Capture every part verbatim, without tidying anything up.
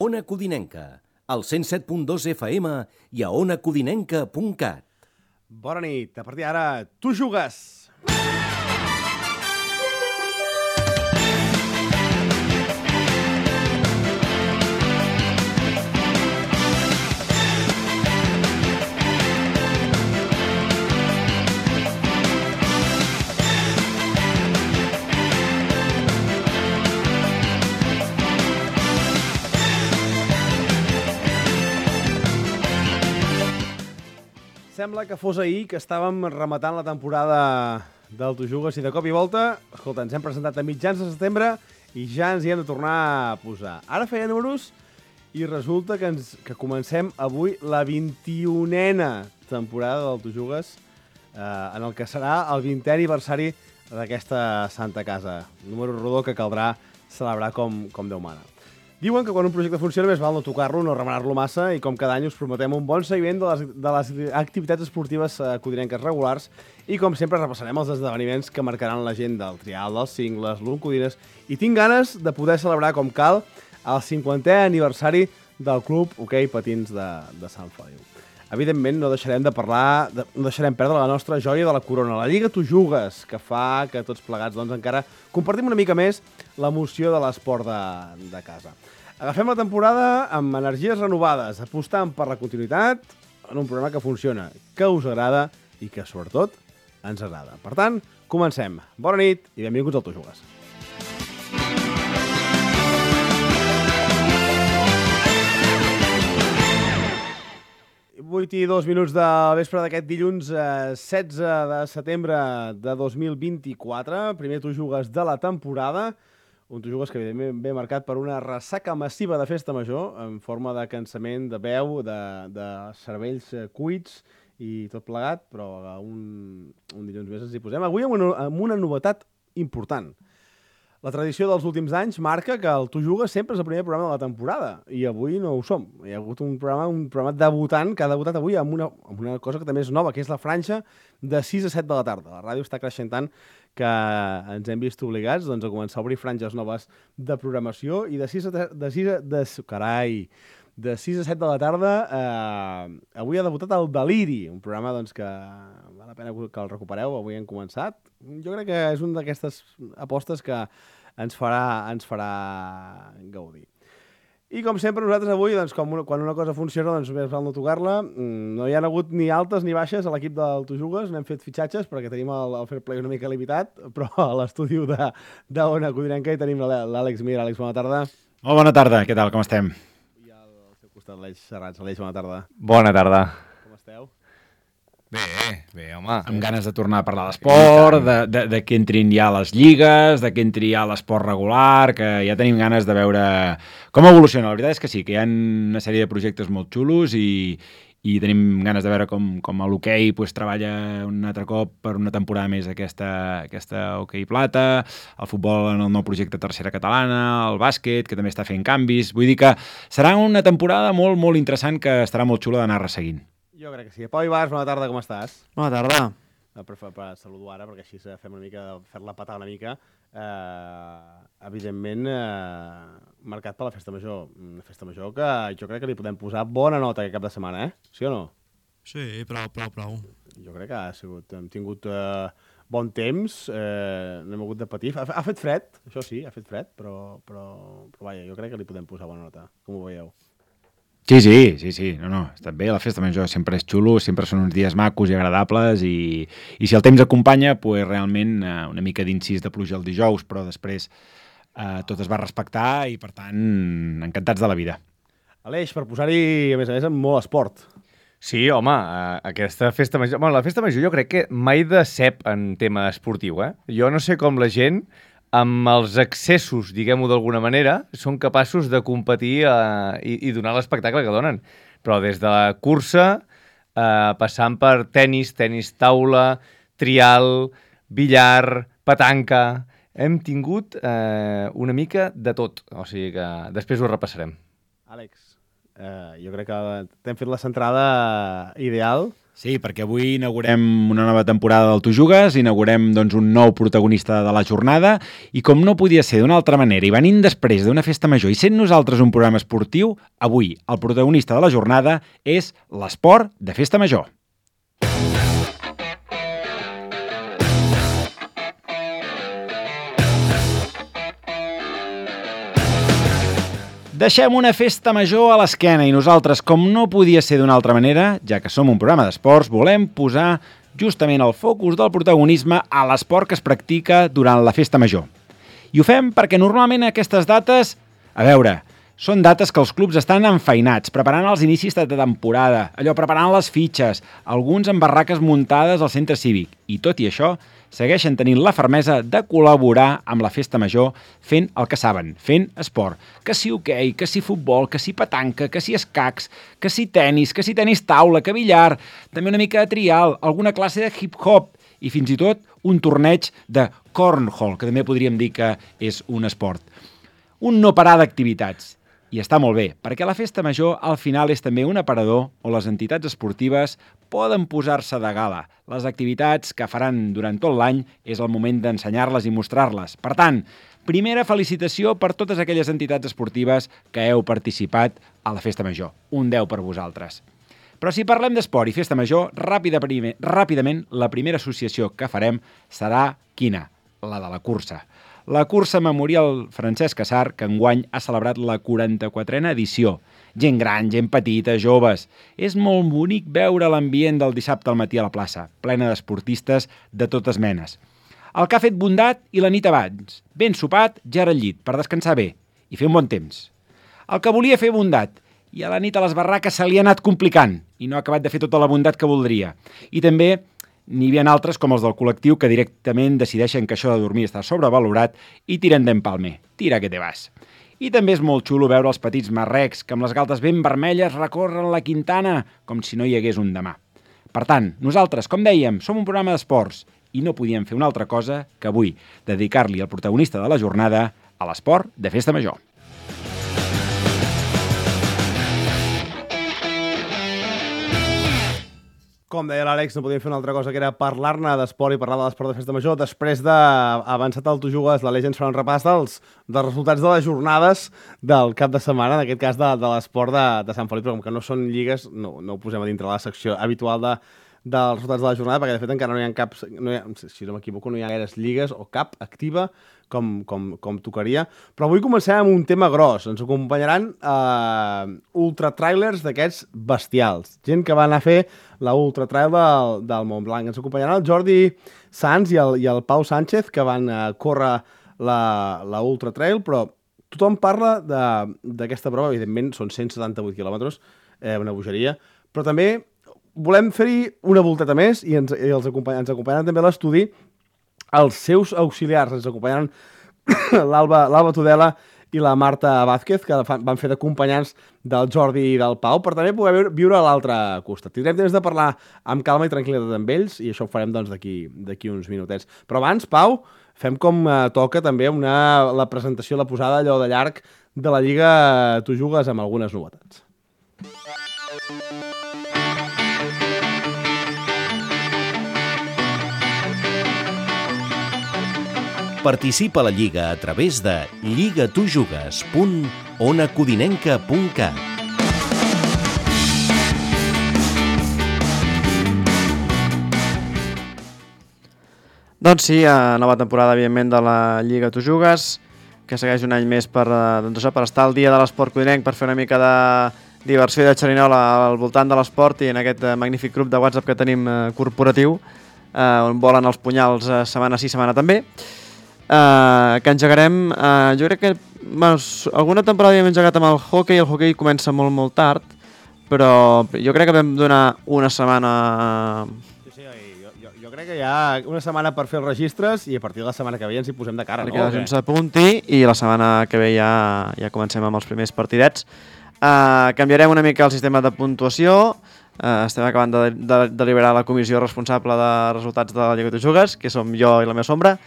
Ona Codinenca, al cent set punt dos F M i a ona codinenca punt cat. Bona nit. A partir d'ara, tu jugues! Sembla que fos ahir que estàvem rematant la temporada del Tu Jugues i de cop i volta, escolta, ens hem presentat a mitjans de setembre i ja ens hi hem de tornar a posar. Ara feia números i resulta que, ens, que comencem avui la vint-i-unena temporada del Tu Jugues, eh, en el que serà el vintè aniversari d'aquesta santa casa. Un número rodó que caldrà celebrar com, com Déu mana. Diuen que quan un projecte funciona més val no tocar-lo, no remenar-lo massa i com cada any us prometem un bon seguiment de les, de les activitats esportives eh, codinenques regulars i com sempre repassarem els esdeveniments que marcaran l'agenda, el trial dels cingles, l'Un Codines i tinc ganes de poder celebrar com cal el cinquantè aniversari del Club Hoquei Patins de, de Sant Feliu. Evidentment no deixarem de parlar, de, no deixarem perdre la nostra joia de la corona, la Lliga Tu Jugues, que fa que tots plegats doncs, encara compartim una mica més l'emoció de l'esport de, de casa. Agafem la temporada amb energies renovades, apostant per la continuïtat en un programa que funciona, que us agrada i que, sobretot, ens agrada. Per tant, comencem. Bona nit i benvinguts al Tu Jugues. vuit i dos minuts de vespre d'aquest dilluns eh, setze de setembre de dos mil vint-i-quatre, primer Tu Jugues de la temporada, un Tu Jugues que evidentment ve marcat per una ressaca massiva de festa major, en forma de cansament, de veu, de, de cervells cuits i tot plegat, però un, un dilluns més ens hi posem. Avui amb una, amb una novetat important. La tradició dels últims anys marca que el Tu Jugues sempre és el primer programa de la temporada, i avui no ho som. Hi ha hagut un programa, un programa debutant que ha debutat avui amb una, amb una cosa que també és nova, que és la franja de sis a set de la tarda. La ràdio està creixent tant que ens hem vist obligats doncs, a començar a obrir franges noves de programació i de sis a, de sis a, de, carai, de sis a set de la tarda eh, avui ha debutat el Deliri, un programa doncs, que val la pena que el recupereu, avui hem començat. Jo crec que és una d'aquestes apostes que ens farà, ens farà gaudir. I com sempre nosaltres avui, doncs, com una, quan una cosa funciona, doncs més val no tocar-la. No hi ha hagut ni altes ni baixes a l'equip del Tu Jugues, no hem fet fitxatges perquè tenim el, el fair play una mica limitat, però a l'estudi d'Ona Codinenca hi tenim l'Àlex Mir. Àlex, bona tarda. Molt bona tarda, què tal, com estem? I al seu costat l'Aleix Serrats. Aleix, bona tarda. Bona tarda. Com esteu? Bé, bé, home. Amb ganes de tornar a parlar d'esport, de, de, de que entrin ja les lligues, de que entri ja l'esport regular, que ja tenim ganes de veure com evoluciona. La veritat és que sí, que hi ha una sèrie de projectes molt xulos i, i tenim ganes de veure com, com l'hoquei pues, treballa un altre cop per una temporada més aquesta, aquesta hoquei plata, el futbol en el nou projecte Tercera Catalana, el bàsquet, que també està fent canvis. Vull dir que serà una temporada molt, molt interessant que estarà molt xula d'anar resseguint. Jo crec que sí. Pau Ibars, bona tarda, com estàs? Bona tarda. Per, per, per saludo ara, perquè així fem una mica, fer-la patar una mica. Eh, evidentment, eh, marcat per la Festa Major. Una Festa Major que jo crec que li podem posar bona nota aquest cap de setmana, eh? Sí o no? Sí, prou, prou, prou. Jo crec que ha sigut, hem tingut eh, bon temps, eh, no hem hagut de patir. Ha, ha fet fred, això sí, ha fet fred, però, però, però vaja, jo crec que li podem posar bona nota. Com ho veieu? Sí, sí, sí, sí, no, no, està bé, la festa major sempre és xulo, sempre són uns dies macos i agradables i, i si el temps acompanya, pues, realment eh, una mica d'incís de pluja el dijous, però després eh, tot es va respectar i, per tant, encantats de la vida. Aleix, per posar-hi, a més a més, amb molt esport. Sí, home, aquesta festa major... Bueno, la festa major jo crec que mai decep en tema esportiu, eh? Jo no sé com la gent, amb els excessos, diguem-ho d'alguna manera, són capaços de competir eh, i, i donar l'espectacle que donen. Però des de la cursa, eh, passant per tenis, tenis taula, trial, billar, petanca... Hem tingut eh, una mica de tot. O sigui que després ho repassarem. Àlex, eh, jo crec que t'hem fet la centrada ideal. Sí, perquè avui inaugurem una nova temporada del Tu Jugues, inaugurem doncs, un nou protagonista de la jornada i com no podia ser d'una altra manera i venint després d'una festa major i sent nosaltres un programa esportiu, avui el protagonista de la jornada és l'esport de festa major. Deixem una festa major a l'esquena i nosaltres, com no podia ser d'una altra manera, ja que som un programa d'esports, volem posar justament el focus del protagonisme a l'esport que es practica durant la festa major. I ho fem perquè normalment aquestes dates, a veure, són dates que els clubs estan enfeinats, preparant els inicis de temporada, allò preparant les fitxes, alguns amb barraques muntades al centre cívic, i tot i això, segueixen tenint la fermesa de col·laborar amb la festa major fent el que saben, fent esport. Que si hoquei, que si futbol, que si petanca, que si escacs, que si tenis, que si tenis taula, que billar, també una mica de trial, alguna classe de hip-hop i fins i tot un torneig de cornhole, que també podríem dir que és un esport. Un no parar d'activitats. I està molt bé, perquè la festa major al final és també un aparador on les entitats esportives poden posar-se de gala. Les activitats que faran durant tot l'any és el moment d'ensenyar-les i mostrar-les. Per tant, primera felicitació per totes aquelles entitats esportives que heu participat a la festa major. Un deu per vosaltres. Però si parlem d'esport i festa major, ràpida, primer, ràpidament la primera associació que farem serà quina? La de la cursa. La cursa memorial Francesc Cassar, que enguany ha celebrat la quaranta-quatrena edició. Gent gran, gent petita, joves. És molt bonic veure l'ambient del dissabte al matí a la plaça, plena d'esportistes de totes menes. El que ha fet bondat i la nit abans. Ben sopat, ja al llit, per descansar bé i fer un bon temps. El que volia fer bondat i a la nit a les barraques se li ha anat complicant i no ha acabat de fer tota la bondat que voldria. I també n'hi havia altres com els del col·lectiu que directament decideixen que això de dormir està sobrevalorat i tiren d'empalmer. Tira que te vas. I també és molt xulo veure els petits marrecs que amb les galtes ben vermelles recorren la Quintana com si no hi hagués un demà. Per tant, nosaltres, com dèiem, som un programa d'esports i no podíem fer una altra cosa que avui dedicar-li al protagonista de la jornada a l'esport de festa major. Com deia l'Àlex, no podíem fer una altra cosa que era parlar-ne d'esport i parlar de l'esport de festa major. Després d'avançat el Tu Jugues, la Legends farà un repàs dels, dels resultats de les jornades del cap de setmana, en aquest cas de, de l'esport de, de Sant Felip, però com que no són lligues, no, no ho posem a dintre la secció habitual de, dels resultats de la jornada, perquè de fet encara no hi ha cap, no hi ha, si no m'equivoco, no hi ha gaires lligues o cap activa com, com, com tocaria. Però avui comencem amb un tema gros. Ens acompanyaran eh, ultratrailers d'aquests bestials. Gent que va anar a fer la ultratrail del, del Montblanc. Ens acompanyaran el Jordi Sans i el, i el Pau Sánchez, que van eh, córrer la, la ultratrail, però tothom parla d'aquesta prova. Evidentment, són cent setanta-vuit quilòmetres, eh, una bogeria, però també volem fer-hi una volteta més i ens, i els acompany, ens acompanyaran també a l'estudi els seus auxiliars. Ens acompanyaran l'Alba Tudela i la Marta Vázquez, que van fer d'acompanyants del Jordi i del Pau, per també poder viure a l'altre costat. Tindrem temps de parlar amb calma i tranquil·litat amb ells i això ho farem doncs, d'aquí uns minutets. Però abans, Pau, fem com eh, toca també una, la presentació, la posada allò de llarg de la Lliga Tu Jugues amb algunes novetats. Participa a la Lliga a través de lligatujugues punt ona codinenca punt cat. Doncs sí, nova temporada, evidentment, de la Lliga Tu Jugues, que segueix un any més per, doncs, per estar al dia de l'esport codinenc, per fer una mica de diversió i de xerinola al voltant de l'esport i en aquest magnífic grup de WhatsApp que tenim corporatiu, on volen els punyals setmana sí, setmana també. Uh, que engegarem, uh, jo crec que bueno, alguna temporada hem engegat amb el hoquei, el hoquei comença molt molt tard, però jo crec que vam donar una setmana... Sí, sí, jo, jo, jo crec que hi ha una setmana per fer els registres i a partir de la setmana que ve ens hi posem de cara, perquè no? Perquè ens apunti i la setmana que ve ja, ja comencem amb els primers partidets. Uh, canviarem una mica el sistema de puntuació. Uh, estem acabant de, de, de deliberar la comissió responsable de resultats de la Lliga Tu Jugues, que som jo i la meva sombra.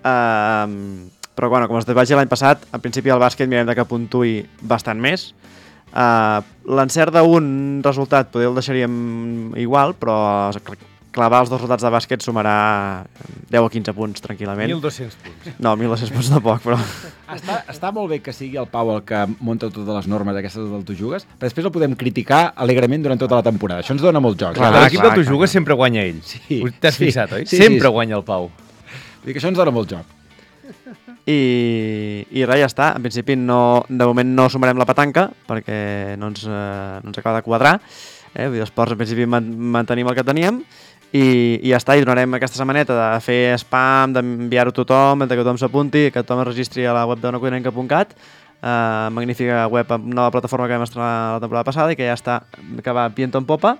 Uh, però bueno, com es vagi l'any passat, en principi el bàsquet mirem de que puntuï bastant més. Uh, L'encert d'un resultat poder el deixaríem igual, però clavar els dos resultats de bàsquet sumarà deu a quinze punts tranquil·lament. mil dos-cents punts. No, mil dos-cents punts de poc, però... Està, està molt bé que sigui el Pau el que monta totes les normes aquestes del Tu Jugues, però després el podem criticar alegrement durant tota la temporada. Això ens dona molt joc. Clar, L'equip clar, del Tu clar, Jugues clar. sempre guanya ell. Sí, T'has sí. fixat, oi? Sí, sempre sí. guanya el Pau. Vull dir que això ens dona molt joc. I, i res, ja està. En principi, no, de moment no sumarem la petanca, perquè no ens, eh, no ens acaba de quadrar. Eh? Vull dir, els ports, en principi, man mantenim el que teníem. I, i ja està, i donarem aquesta setmaneta de fer spam, d'enviar-ho a tothom, de que tothom s'apunti, que tothom es registri a la web d'ona codinenca punt cat, uh, magnífica web, nova plataforma que vam estrenar la temporada passada i que ja està, que va viento en popa,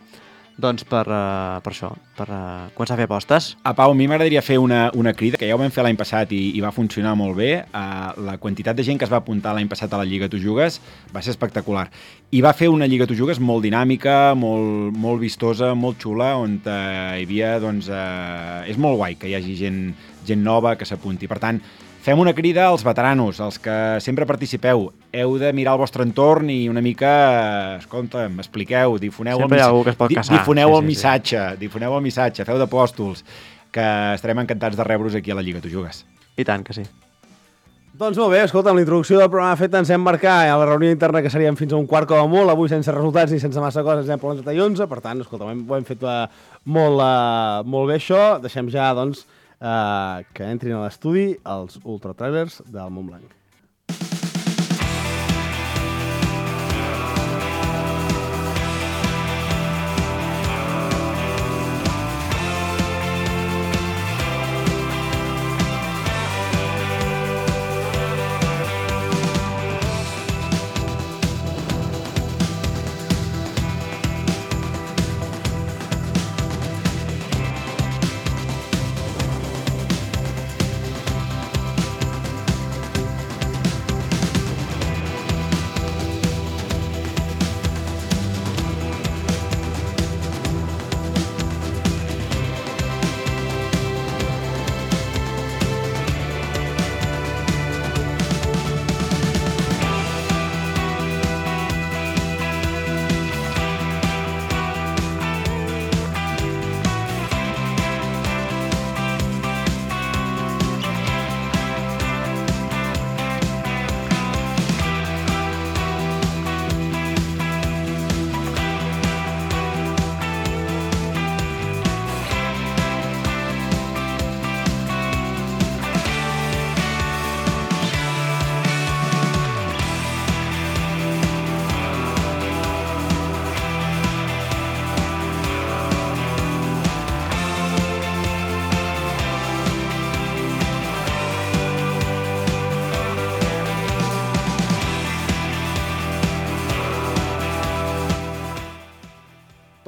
doncs per, uh, per això, per uh, començar a fer apostes. A Pau, a mi m'agradaria fer una, una crida, que ja ho vam fer l'any passat i, i va funcionar molt bé. Uh, la quantitat de gent que es va apuntar l'any passat a la Lliga Tu Jugues va ser espectacular. I va fer una Lliga Tu Jugues molt dinàmica, molt, molt vistosa, molt xula, on uh, hi havia, doncs, uh, és molt guai que hi hagi gent, gent nova que s'apunti. Per tant, fem una crida als veteranos, als que sempre participeu. Heu de mirar el vostre entorn i una mica, escolta'm, expliqueu, difoneu Sempre el, hi ha algú que es pot di casar. difoneu Sí, el sí, missatge, sí. difoneu el missatge, feu d'apòstols, que estarem encantats de rebre-vos aquí a la Lliga Tu Jugues. I tant que sí. Doncs molt bé, escolta, amb la introducció del programa feta ens hem marcat a la reunió interna que seríem fins a un quart com a molt, avui sense resultats ni sense massa coses, ens hem per l'onze i onze, per tant, escolta, ho hem, ho hem fet uh, molt, uh, molt bé això, deixem ja, doncs, uh, que entrin a l'estudi els ultratrailers del Montblanc.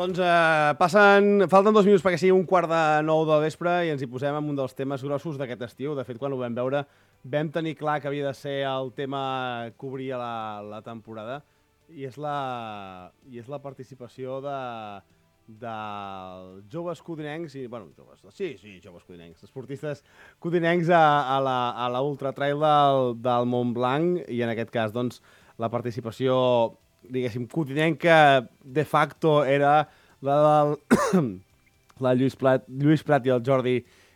Doncs eh, passen, falten dos minuts perquè sigui un quart de nou del vespre i ens hi posem en un dels temes grossos d'aquest estiu. De fet, quan ho vam veure, vam tenir clar que havia de ser el tema que obria la, la temporada i és la, i és la participació de, dels joves codinencs, i, bueno, joves, sí, sí, joves codinencs, esportistes codinencs a, a la, a la Ultra Trail del, del Montblanc i en aquest cas, doncs, la participació diguéssim, codinenca de facto era la del la Lluís Prat, Lluís Prat i el Jordi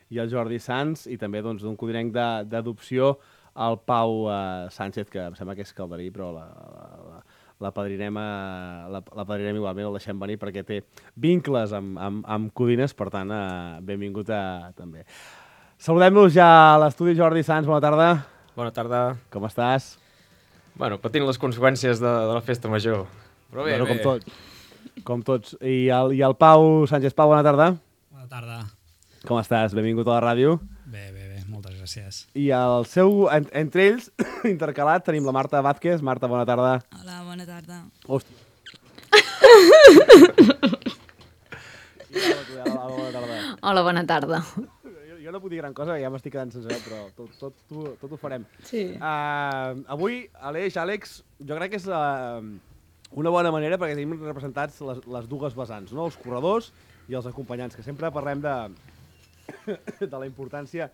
i el Jordi Sans, i també doncs, d'un codinenc d'adopció, el Pau eh, Sánchez, que em sembla que és calderí, però la, la, la, la padrirem, a, la, la padrirem igualment, el deixem venir perquè té vincles amb, amb, amb codines, per tant, eh, benvingut a, també. Saludem-nos ja a l'estudi. Jordi Sans, bona tarda. Bona tarda. Com estàs? Bueno, patint les conseqüències de, de la festa major. Però bé, bueno, bé. com, tot, com tots. I el, I el Pau Sánchez. Pau, bona tarda. Bona tarda. Com estàs? Benvingut a la ràdio. Bé, bé, bé. Moltes gràcies. I el seu, en, entre ells, intercalat, tenim la Marta Vázquez. Marta, bona tarda. Hola, bona tarda. Hòstia. Hola, bona tarda. Jo, jo no puc dir gran cosa, ja m'estic quedant sense veu, però tot, tot, tot, tot ho farem. Sí. Uh, avui, Aleix, Àlex, jo crec que és uh, una bona manera perquè tenim representats les, les dues vessants, no? Els corredors i els acompanyants, que sempre parlem de, de la importància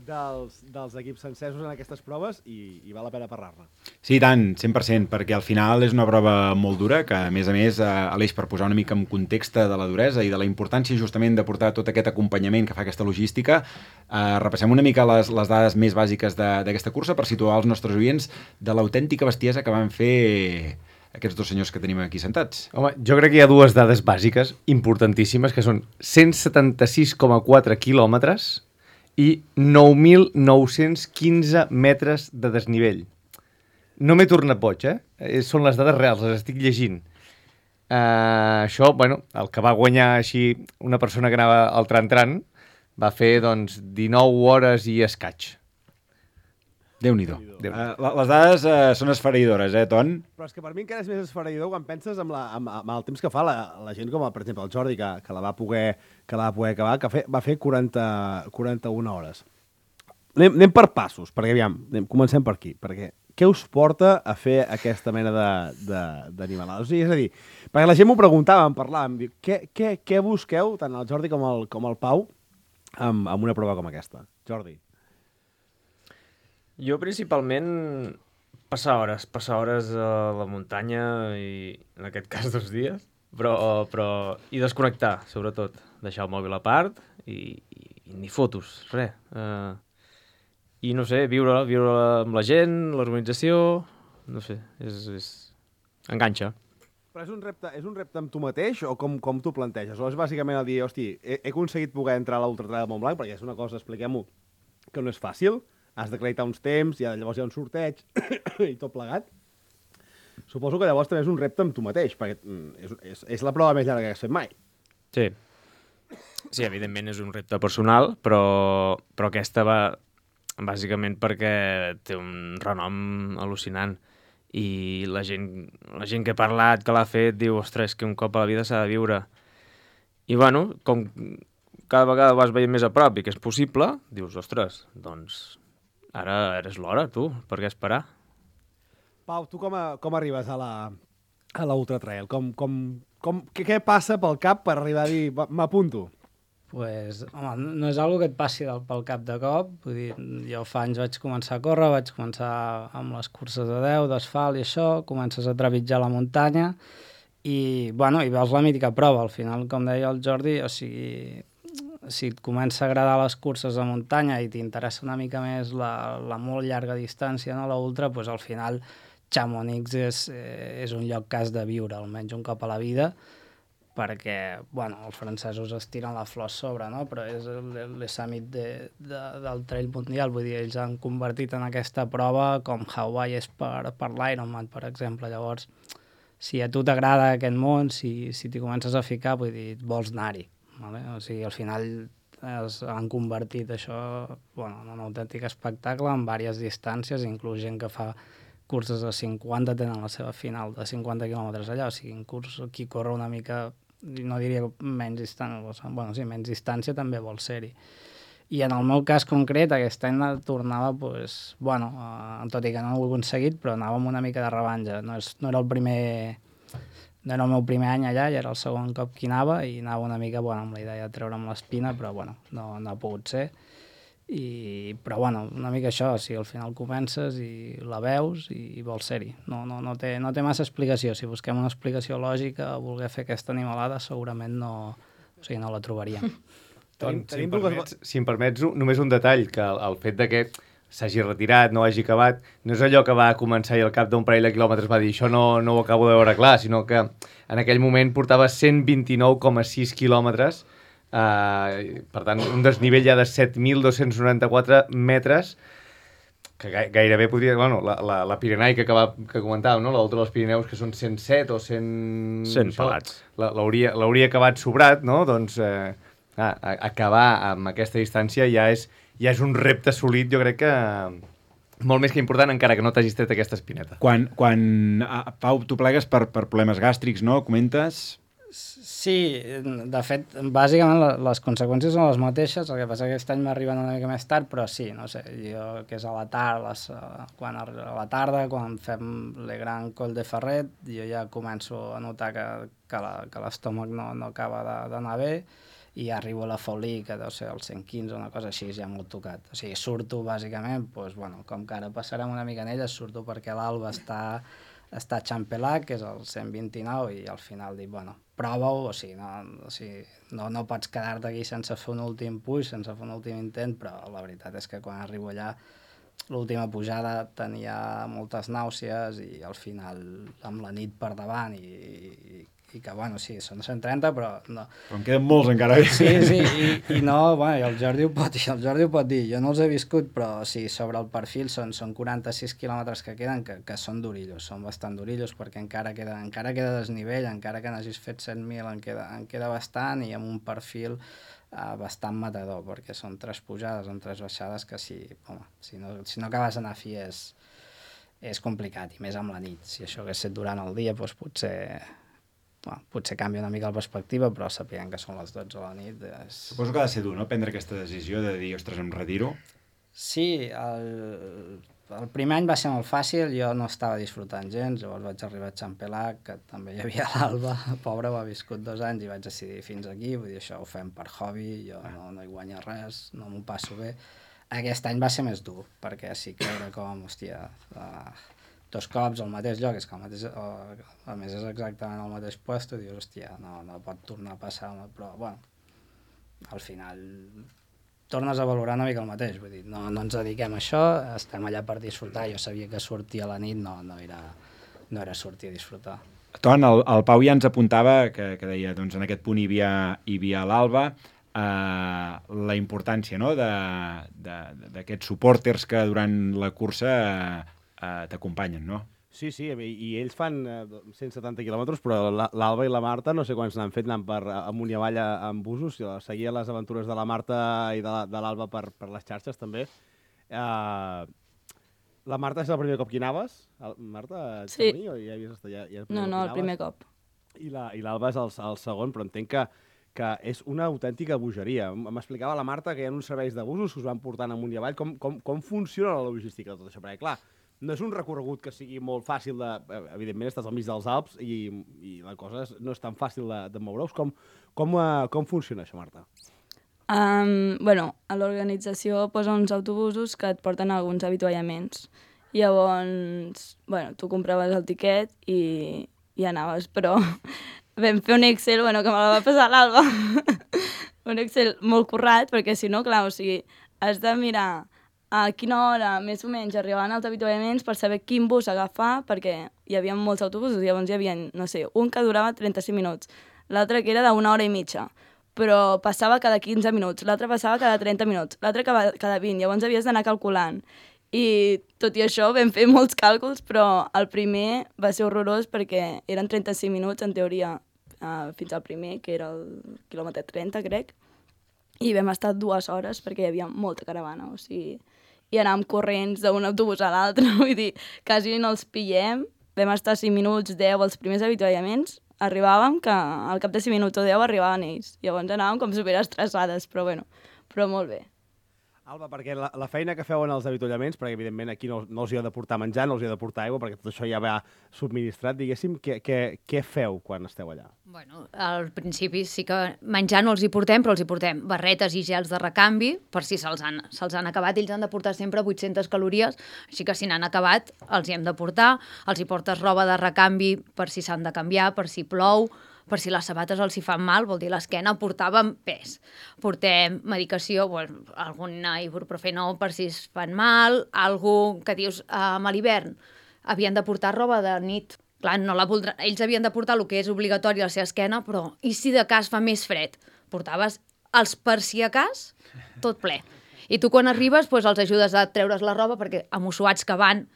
dels, dels equips sencesos en aquestes proves i, i val la pena parlar-ne. Sí, tant, cent per cent, perquè al final és una prova molt dura, que a més a més, eh, Aleix, per posar una mica en context de la duresa i de la importància justament de portar tot aquest acompanyament que fa aquesta logística, eh, repassem una mica les, les dades més bàsiques d'aquesta cursa per situar els nostres oients de l'autèntica bestiesa que van fer aquests dos senyors que tenim aquí sentats. Home, jo crec que hi ha dues dades bàsiques importantíssimes, que són cent setanta-sis coma quatre quilòmetres i nou mil nou-cents quinze metres de desnivell. No m'he tornat boig, eh? Són les dades reals, les estic llegint. Uh, això, bueno, el que va guanyar així una persona que anava al tran-tran va fer, doncs, dinou hores i escaig. Déu-n'hi-do. Uh, les dades uh, són esfereïdores, eh, Ton? Però és que per mi encara és més esfereïdor quan penses amb, la, amb, amb el temps que fa la, la gent com, per exemple, el Jordi, que, que la va poder, que la va poder acabar, que fe, va fer quaranta, quaranta-una hores. Anem, anem per passos, perquè aviam, anem, comencem per aquí, perquè què us porta a fer aquesta mena d'animalades? O sigui, és a dir, perquè la gent m'ho preguntava, em parlàvem, diu, què, què, què busqueu, tant el Jordi com el, com el Pau, amb, amb una prova com aquesta? Jordi. Jo principalment passar hores, passar hores a la muntanya i en aquest cas dos dies, però, però i desconnectar, sobretot. Deixar el mòbil a part i, i, i ni fotos, res. Uh, I no sé, viure, viure amb la gent, l'organització, no sé, és, és... enganxa. Però és un repte, és un repte amb tu mateix o com, com t'ho planteges? O és bàsicament el dir, hosti, he, he aconseguit poder entrar a l'Ultratrail de Montblanc, perquè és una cosa, expliquem-ho, que no és fàcil, has d'acreditar uns temps, i llavors hi ha un sorteig i tot plegat. Suposo que llavors també és un repte amb tu mateix, perquè és, és, és la prova més llarga que has fet mai. Sí. Sí, evidentment és un repte personal, però, però aquesta va bàsicament perquè té un renom al·lucinant. I la gent, la gent que ha parlat, que l'ha fet, diu, ostres, que un cop a la vida s'ha de viure. I bueno, com cada vegada vas veient més a prop i que és possible, dius, ostres, doncs... Ara és l'hora, tu, per què esperar? Pau, tu com, a, com arribes a la, a l'Ultratrail? Com, com, com, què, què passa pel cap per arribar a dir, m'apunto? Pues, home, no és algo que et passi del, pel cap de cop. Vull dir, jo fa anys vaig començar a córrer, vaig començar amb les curses de deu, d'asfalt i això, comences a trepitjar la muntanya i, bueno, i veus la mítica prova. Al final, com deia el Jordi, o sigui... si et comença a agradar les curses de muntanya i t'interessa una mica més la, la molt llarga distància, no, la ultra, doncs al final Chamonix és, eh, és un lloc que has de viure, almenys un cop a la vida, perquè, bueno, els francesos es tiren la flor sobre, no? Però és l'Summit de, de, del trail mundial, vull dir, ells han convertit en aquesta prova com Hawaii és per, per l'Ironman, per exemple. Llavors, si a tu t'agrada aquest món, si, si t'hi comences a ficar, vull dir, vols anar-hi. Vale? O sigui, al final es han convertit això, bueno, en un autèntic espectacle en diverses distàncies, inclús gent que fa curses de cinquanta tenen la seva final de cinquanta quilòmetres allà, o sigui, en curs qui corre una mica, no diria menys distància, bueno, sí, menys distància també vol ser-hi. I en el meu cas concret, aquest any tornava, pues, bueno, eh, tot i que no ho he aconseguit, però anava amb una mica de rebanja. No, és, no era el primer... No era el meu primer any allà, ja era el segon cop que anava i anava una mica, bueno, amb la idea de treure'm l'espina, però bueno, no, no ha pogut ser. I, però bueno, una mica això, o sigui, al final comences i la veus i, i vols ser-hi. No, no, no, té, no té massa explicació. Si busquem una explicació lògica a voler fer aquesta animalada, segurament no, o sigui, no la trobaríem. Doncs, si, em permets, si em permets, només un detall, que el, el fet de que s'hagi retirat, no hagi acabat, no és allò que va començar i al cap d'un parell de quilòmetres va dir això no, no ho acabo de veure clar, sinó que en aquell moment portava cent vint-i-nou coma sis quilòmetres, eh, per tant, un desnivell ja de set mil dos-cents noranta-quatre metres, que gairebé podria... Bueno, la, la, la Pirenaica que, va, que comentàvem, no? L'Ultra dels Pirineus, que són cent set o cent... cent pelats. L'hauria acabat sobrat, no? Doncs eh, ah, acabar amb aquesta distància ja és... ja és un repte assolit, jo crec que molt més que important, encara que no t'hagis tret aquesta espineta. Quan, quan ah, Pau, tu plegues per, per problemes gàstrics, no? Comentes? Sí, de fet, bàsicament les conseqüències són les mateixes, el que passa que aquest any m'arriben una mica més tard, però sí, no sé, jo que és a la tarda, les, quan a la tarda, quan fem le Grand Col de Ferret, jo ja començo a notar que, que l'estómac no, no acaba d'anar bé, i arribo a la Folí, que deu ser el cent quinze o una cosa així, ja molt tocat. O sigui, surto bàsicament, doncs, bueno, com que ara passarem una mica en ella, surto perquè l'Alba està, està a Champelac, que és el cent vint-i-nou, i al final dic, bueno, prova-ho, o sigui, no, o sigui, no, no pots quedar-te aquí sense fer un últim puix, sense fer un últim intent, però la veritat és que quan arribo allà, l'última pujada tenia moltes nàusees i al final amb la nit per davant i, i, i que, bueno, sí, són cent trenta, però no... Però en queden molts encara. Sí, sí, i, i no, bueno, i el Jordi ho pot dir, el Jordi ho pot dir, jo no els he viscut, però sí, sobre el perfil són, són quaranta-sis quilòmetres que queden, que, que són durillos, són bastant durillos, perquè encara queda, encara queda desnivell, encara que n'hagis fet set mil en queda, en queda bastant, i amb un perfil uh, bastant matador, perquè són tres pujades, amb tres baixades, que si, home, si no, si no acabes d'anar fi és, és complicat, i més amb la nit. Si això hagués estat durant el dia, doncs potser... Bueno, potser canvia una mica la perspectiva, però sapien que són les dotze de la nit. És... Suposo que ha de ser dur, no?, prendre aquesta decisió de dir, ostres, em retiro. Sí, el, el primer any va ser molt fàcil, jo no estava disfrutant gens, llavors vaig arribar a Champelac, que també hi havia l'Alba, pobra, va viscut dos anys, i vaig decidir fins aquí, vull dir, això ho fem per hobby, jo no, no hi guanyo res, no m'ho passo bé. Aquest any va ser més dur, perquè sí que era com, hòstia... Uh, dos cops al mateix lloc, és que el mateix, o, a més és exactament al mateix lloc, i dius, hòstia, no, no pot tornar a passar, però, bueno, al final tornes a valorar una mica el mateix, vull dir, no, no ens dediquem a això, estem allà per disfrutar, jo sabia que sortir a la nit no, no, era, no era sortir a disfrutar. Ton, el, el Pau ja ens apuntava, que, que deia, doncs en aquest punt hi havia, hi havia l'Alba, eh, la importància, no?, d'aquests supporters que durant la cursa... Eh, Uh, t'acompanyen, no? Sí, sí, i, i ells fan uh, cent setanta quilòmetres, però l'Alba i la Marta no sé quants n'han fet, anant per amunt i avall amb busos, seguia les aventures de la Marta i de, de l'Alba per, per les xarxes, també. Uh, la Marta és el primer cop que hi anaves? Marta, sí. O ja havies estat, ja, ja no, no, el primer cop. I l'Alba és el, el segon, però entenc que, que és una autèntica bogeria. M'explicava la Marta que hi ha uns serveis de busos que us van portant amunt i avall. Com, com, com funciona la logística de tot això? Perquè, clar, no és un recorregut que sigui molt fàcil de... Evidentment, estàs al mig dels Alps i, i la cosa no és tan fàcil de, de moure-us. Com, com, uh, com funciona això, Marta? Um, bueno, a l'organització posa uns autobusos que et porten a alguns avituallaments. Llavors, bueno, tu compraves el tiquet i, i anaves, però vam fer un Excel, bueno, que me la va passar l'Alba, un Excel molt currat, perquè si no, clar, o sigui, has de mirar a quina hora més o menys arribaven als avituallaments per saber quin bus agafar, perquè hi havia molts autobusos, llavors hi havia, no sé, un que durava trenta-cinc minuts, l'altre que era d'una hora i mitja, però passava cada quinze minuts, l'altre passava cada trenta minuts, l'altre cada vint, llavors havies d'anar calculant. I tot i això vam fer molts càlculs, però el primer va ser horrorós perquè eren trenta-cinc minuts, en teoria, uh, fins al primer, que era el quilòmetre trenta, crec, i vam estar dues hores perquè hi havia molta caravana, o sigui... i anàvem corrents d'un autobús a l'altre, vull dir, quasi no els pillem, vam estar cinc minuts, deu, els primers avituallaments, arribàvem que al cap de cinc minuts o deu arribaven ells, llavors anàvem com superestressades, però bueno, però molt bé. Alba, perquè la, la feina que feu en els avituallaments, perquè evidentment aquí no, no els hi ha de portar menjar, no els hi ha de portar aigua, perquè tot això ja va subministrat, diguéssim, què, què, què feu quan esteu allà? Bueno, al principi sí que menjar no els hi portem, però els hi portem barretes i gels de recanvi, per si se'ls han, se'ls han acabat, ells han de portar sempre vuit-centes calories, així que si n'han acabat els hi hem de portar, els hi portes roba de recanvi per si s'han de canviar, per si plou, per si les sabates els hi fan mal, vol dir l'esquena, portàvem pes. Portem medicació, bueno, alguna ibuprofeno per si es fan mal, algú que dius, um, a l'hivern havien de portar roba de nit. Clar, no la voldrà... Ells havien de portar el que és obligatori a la seva esquena, però i si de cas fa més fred? Portaves els per si a cas, tot ple. I tu quan arribes doncs, els ajudes a treure's la roba, perquè amussuats que van,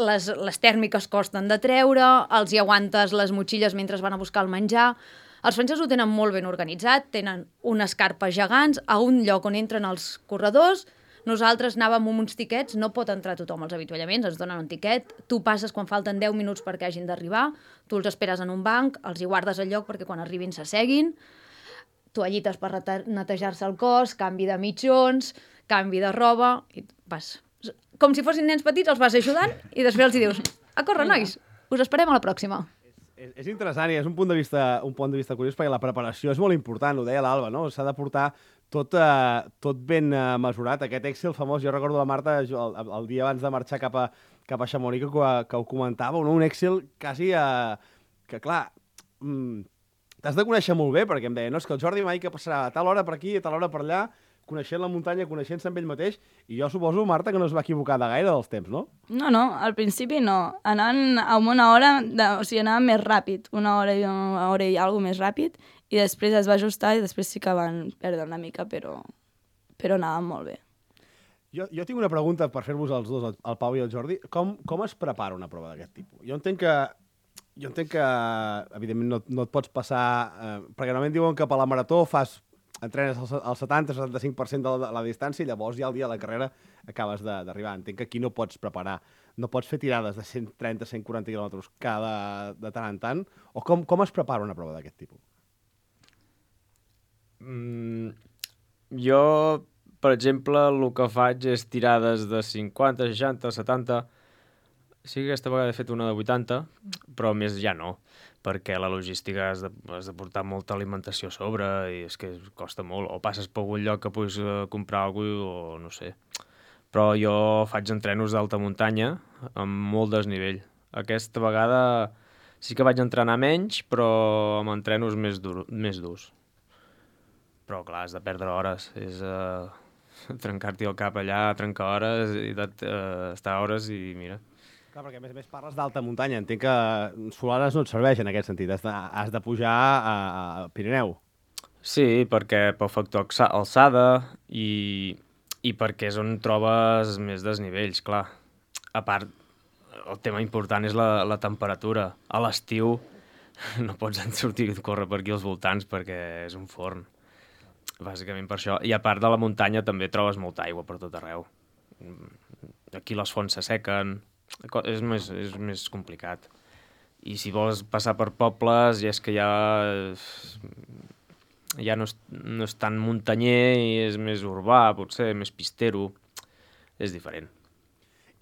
Les, les tèrmiques costen de treure, els hi aguantes les motxilles mentre van a buscar el menjar. Els francesos ho tenen molt ben organitzat, tenen unes carpes gegants a un lloc on entren els corredors. Nosaltres anàvem amb uns tiquets, no pot entrar tothom als avituallaments, ens donen un tiquet, tu passes quan falten deu minuts perquè hagin d'arribar, tu els esperes en un banc, els hi guardes el lloc perquè quan arribin s'asseguin, toallites per netejar-se el cos, canvi de mitjons, canvi de roba, i vas... Com si fossin nens petits, els vas ajudant i després els hi dius, a córrer, nois, us esperem a la pròxima. És, És, és interessant i és un punt de vista un punt de vista curiós perquè la preparació és molt important, ho deia l'Alba, no? S'ha de portar tot, eh, tot ben eh, mesurat. Aquest Excel famós, jo recordo la Marta el, el dia abans de marxar cap a, cap a Chamonix que, que ho comentava, no? Un Excel quasi eh, que, clar, mm, t'has de conèixer molt bé, perquè em deia, no, és que el Jordi mai que passarà a tal hora per aquí, a tal hora per allà, coneixent la muntanya, coneixent-se amb ell mateix, i jo suposo, Marta, que no es va equivocar de gaire dels temps, no? No, no, al principi no. Anaven a una hora, de, o sigui, anaven més ràpid, una hora i una hora i alguna més ràpid, i després es va ajustar i després sí que van perdre una mica, però, però anaven molt bé. Jo, jo tinc una pregunta per fer-vos els dos, el Pau i el Jordi. Com, com es prepara una prova d'aquest tipus? Jo entenc que, jo entenc que evidentment, no, no et pots passar... Eh, perquè normalment diuen que per la marató fas entrenes al setanta setanta cinc per cent de la, la distància i llavors ja el dia de la carrera acabes d'arribar. Entenc que aquí no pots preparar, no pots fer tirades de cent trenta a cent quaranta quilòmetres cada de tant en tant, o com, com es prepara una prova d'aquest tipus? Mm, jo, per exemple, el que faig és tirades de cinquanta, seixanta, setanta... Sí que aquesta vegada he fet una de vuitanta, però més ja no, perquè la logística has de, has de portar molta alimentació a sobre i és que costa molt. O passes per algun lloc que puguis comprar alguna cosa o no sé. Però jo faig entrenos d'alta muntanya amb molt desnivell. Aquesta vegada sí que vaig entrenar menys, però amb entrenos més, dur, més durs. Però clar, has de perdre hores. És uh, trencar-t'hi el cap allà, trencar hores i uh, estar hores i mira... Clar, perquè a més a més parles d'alta muntanya. Entenc que Solanes no et serveix en aquest sentit. Has de, has de pujar a, a Pirineu. Sí, perquè pel factor alçada i, i perquè és on trobes més desnivells, clar. A part, el tema important és la, la temperatura. A l'estiu no pots sortir a córrer per aquí als voltants perquè és un forn. Bàsicament per això. I a part de la muntanya també trobes molta aigua per tot arreu. Aquí les fonts s'assequen... És més, és més complicat. I si vols passar per pobles, ja és que ja, ja no, és, no és tan muntanyer i és més urbà, potser, més pistero. És diferent.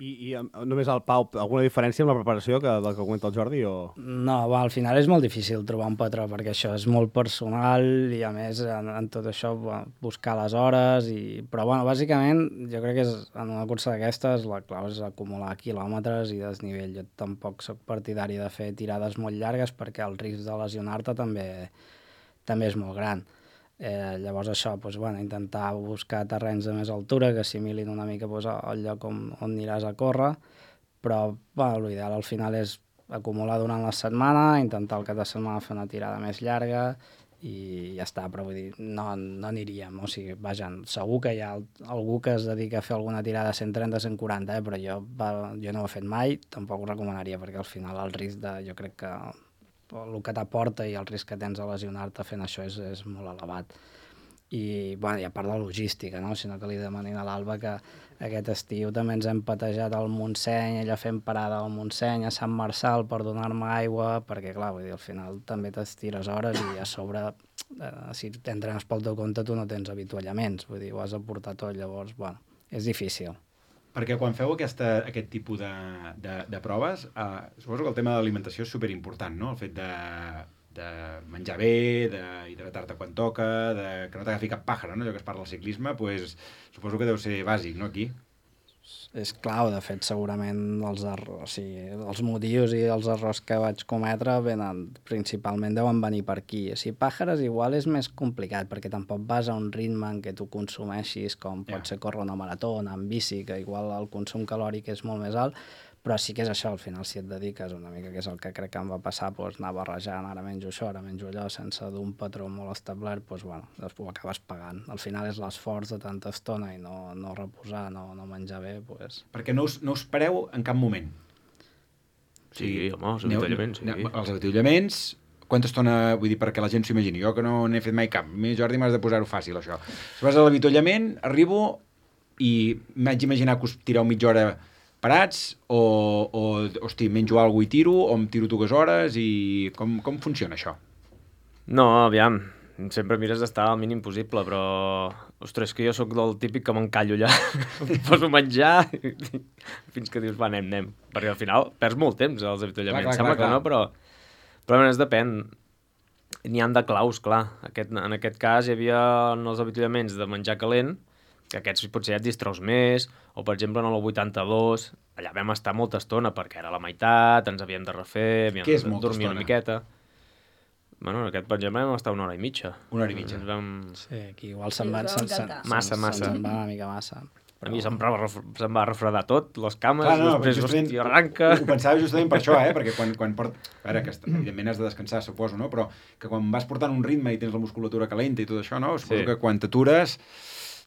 I, i només el Pau, alguna diferència amb la preparació que, del que comenta el Jordi? O... No, va, al final és molt difícil trobar un patró perquè això és molt personal i a més en, en tot això bueno, buscar les hores i... però bueno, bàsicament jo crec que és, en una cursa d'aquestes la clau és acumular quilòmetres i desnivell. Jo tampoc sóc partidari de fer tirades molt llargues perquè el risc de lesionar-te també, també és molt gran. Eh, llavors això, doncs, bueno, intentar buscar terrenys de més altura que assimilin una mica doncs, el lloc on, on aniràs a córrer, però bueno, l'ideal al final és acumular durant la setmana, intentar el cap de setmana fer una tirada més llarga i ja està, però vull dir, no, no aniríem, o sigui, vaja, segur que hi ha algú que es dedica a fer alguna tirada cent trenta a cent quaranta, eh, però jo, va, jo no ho he fet mai, tampoc ho recomanaria perquè al final el risc de, jo crec que el que t'aporta i el risc que tens a lesionar-te fent això és, és molt elevat. I, bueno, i a part de la logística, no? Sinó que li demanin a l'Alba que aquest estiu també ens hem patejat al Montseny, ella fent parada al Montseny, a Sant Marçal per donar-me aigua, perquè clar, vull dir, al final també t'estires hores i a sobre, eh, si t'entrenes pel teu compte tu no tens avituallaments, vull dir, ho has de portar tot, llavors, bueno, és difícil. Perquè quan feu aquesta, aquest tipus de, de, de proves, eh, suposo que el tema de l'alimentació és superimportant, no? El fet de, de menjar bé, d'hidratar-te quan toca, de que no t'agafi cap pàjara, no? Allò que es parla al ciclisme, pues, suposo que deu ser bàsic, no, aquí? És clau, de fet, segurament els, errors, o sigui, els motius i els errors que vaig cometre venen, principalment deuen venir per aquí. O sigui, pàjares igual és més complicat, perquè tampoc vas a un ritme en què tu consumeixis, com pot yeah. ser córrer una marató, anar amb bici, que igual el consum calòric és molt més alt, però sí que és això, al final, si et dediques una mica, que és el que crec que em va passar, doncs, anar barrejant, ara menjo això, ara menjo allò, sense d'un patró molt establert, doncs, bueno, després ho acabes pagant. Al final és l'esforç de tanta estona i no, no reposar, no, no menjar bé, doncs... Perquè no us, no us pareu en cap moment. Sí, sí home, els avituallaments, sí. Els avituallaments, quanta estona, vull dir, perquè la gent s'ho imagini, jo que no n'he fet mai cap, mi, Jordi, m'has de posar-ho fàcil, això. Si vas a l'avituallament, arribo i m'haig d'imaginar que us tireu mitja hora parats o, o hosti, menjo alguna cosa i tiro, o em tiro dues hores i com, com funciona això? No, aviam, sempre mires d'estar al mínim possible, però ostres, que jo sóc del típic que m'encallo allà, em poso a menjar fins que dius, va, anem, anem, perquè al final perds molt temps als avituallaments, sembla que no, però, Però és depèn. N'hi han de claus, clar. Aquest, en aquest cas hi havia els avituallaments de menjar calent, que aquests potser ja et distreus més, o per exemple en el vuitanta-dos, allà vam estar molta estona perquè era la meitat, ens havíem de refer, havíem Què és de molta dormir estona? una miqueta. Bueno, en aquest, per exemple, vam estar una hora i mitja. Una hora i mitja. Ens vam... Sí, aquí igual se'n Sí, va, us se'n, vau se'n, encantar. Massa, se'n- massa. se'n va una mica massa. A mi se'm va, ref- se'm va refredar tot, les cames, Clar, no, després, justament, hòstia, arranca... Ho, ho pensava justament per això, eh? Perquè quan, quan port... A veure, que est- evidentment has de descansar, suposo, no? Però que quan vas portant un ritme i tens la musculatura calenta i tot això, no? Suposo Sí. que quan t'atures,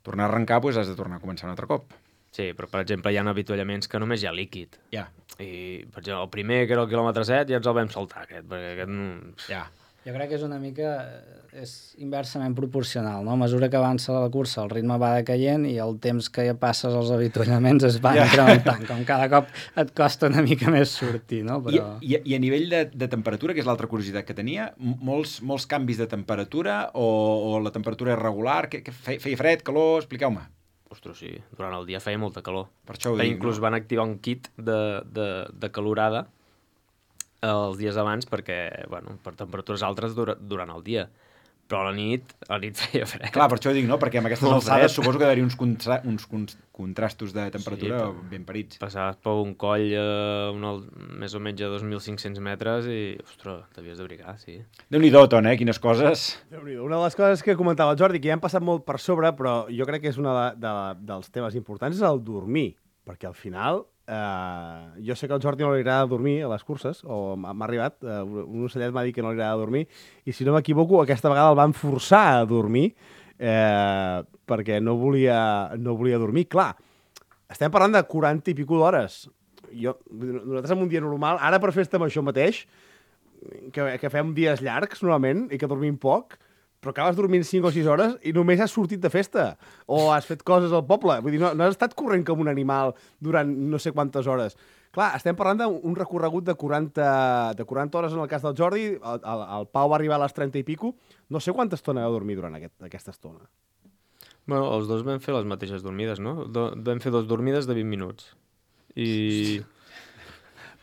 tornar a arrencar, doncs has de tornar a començar un altre cop. Sí, però per exemple hi ha avituallaments que només hi ha líquid. Ja, I, per exemple, el primer, que era el quilòmetre set, ja ens el vam saltar, aquest, perquè aquest... no- ja. Jo crec que és una mica, és inversament proporcional, no? A mesura que avança la cursa el ritme va decaient i el temps que ja passes als avituallaments es va Ja. incrementant, com cada cop et costa una mica més sortir, no? I, Però... i, I a nivell de, de temperatura, que és l'altra curiositat que tenia, m- molts, molts canvis de temperatura o, o la temperatura és regular? Que, que feia, feia fred, calor? Expliqueu-me. Ostres, sí, durant el dia feia molta calor. Per això ho Però dic, inclús no? van activar un kit de, de, de calorada els dies abans perquè, bueno, per temperatures altres dura, durant el dia. Però a la nit, a la nit feia fred. Clar, per això ho dic, no? Perquè amb aquestes Molt alçades fred. suposo que hi ha uns, contra uns con contrastos de temperatura Sí, ben parits. Passaves per un coll eh, un, al- més o menys a dos mil cinc-cents metres i, ostres, t'havies de brigar, sí. Déu-n'hi-do, Ton, eh? Quines coses... Déu-n'hi-do. Una de les coses que comentava el Jordi, que ja han passat molt per sobre, però jo crec que és una de, de, dels temes importants, és el dormir. Perquè al final, eh, jo sé que al Jordi no li agrada dormir a les curses, o m'ha m'ha arribat, eh, un ocellet m'ha dit que no li agrada dormir, i si no m'equivoco, aquesta vegada el van forçar a dormir, eh, perquè no volia, no volia dormir. Clar, estem parlant de quaranta i pico d'hores. Jo, nosaltres en un dia normal, ara per fer-te amb això mateix, que, que fem dies llargs, normalment, i que dormim poc, però acabes dormint cinc o sis hores i només has sortit de festa o has fet coses al poble. Vull dir, no, no has estat corrent com un animal durant no sé quantes hores. Clar, estem parlant d'un recorregut de quaranta, de quaranta hores en el cas del Jordi, el, el, el Pau va arribar a les trenta i pico, no sé quanta estona va dormir durant aquest, aquesta estona. Bueno, els dos vam fer les mateixes dormides, no? Do, vam fer dos dormides de vint minuts. I...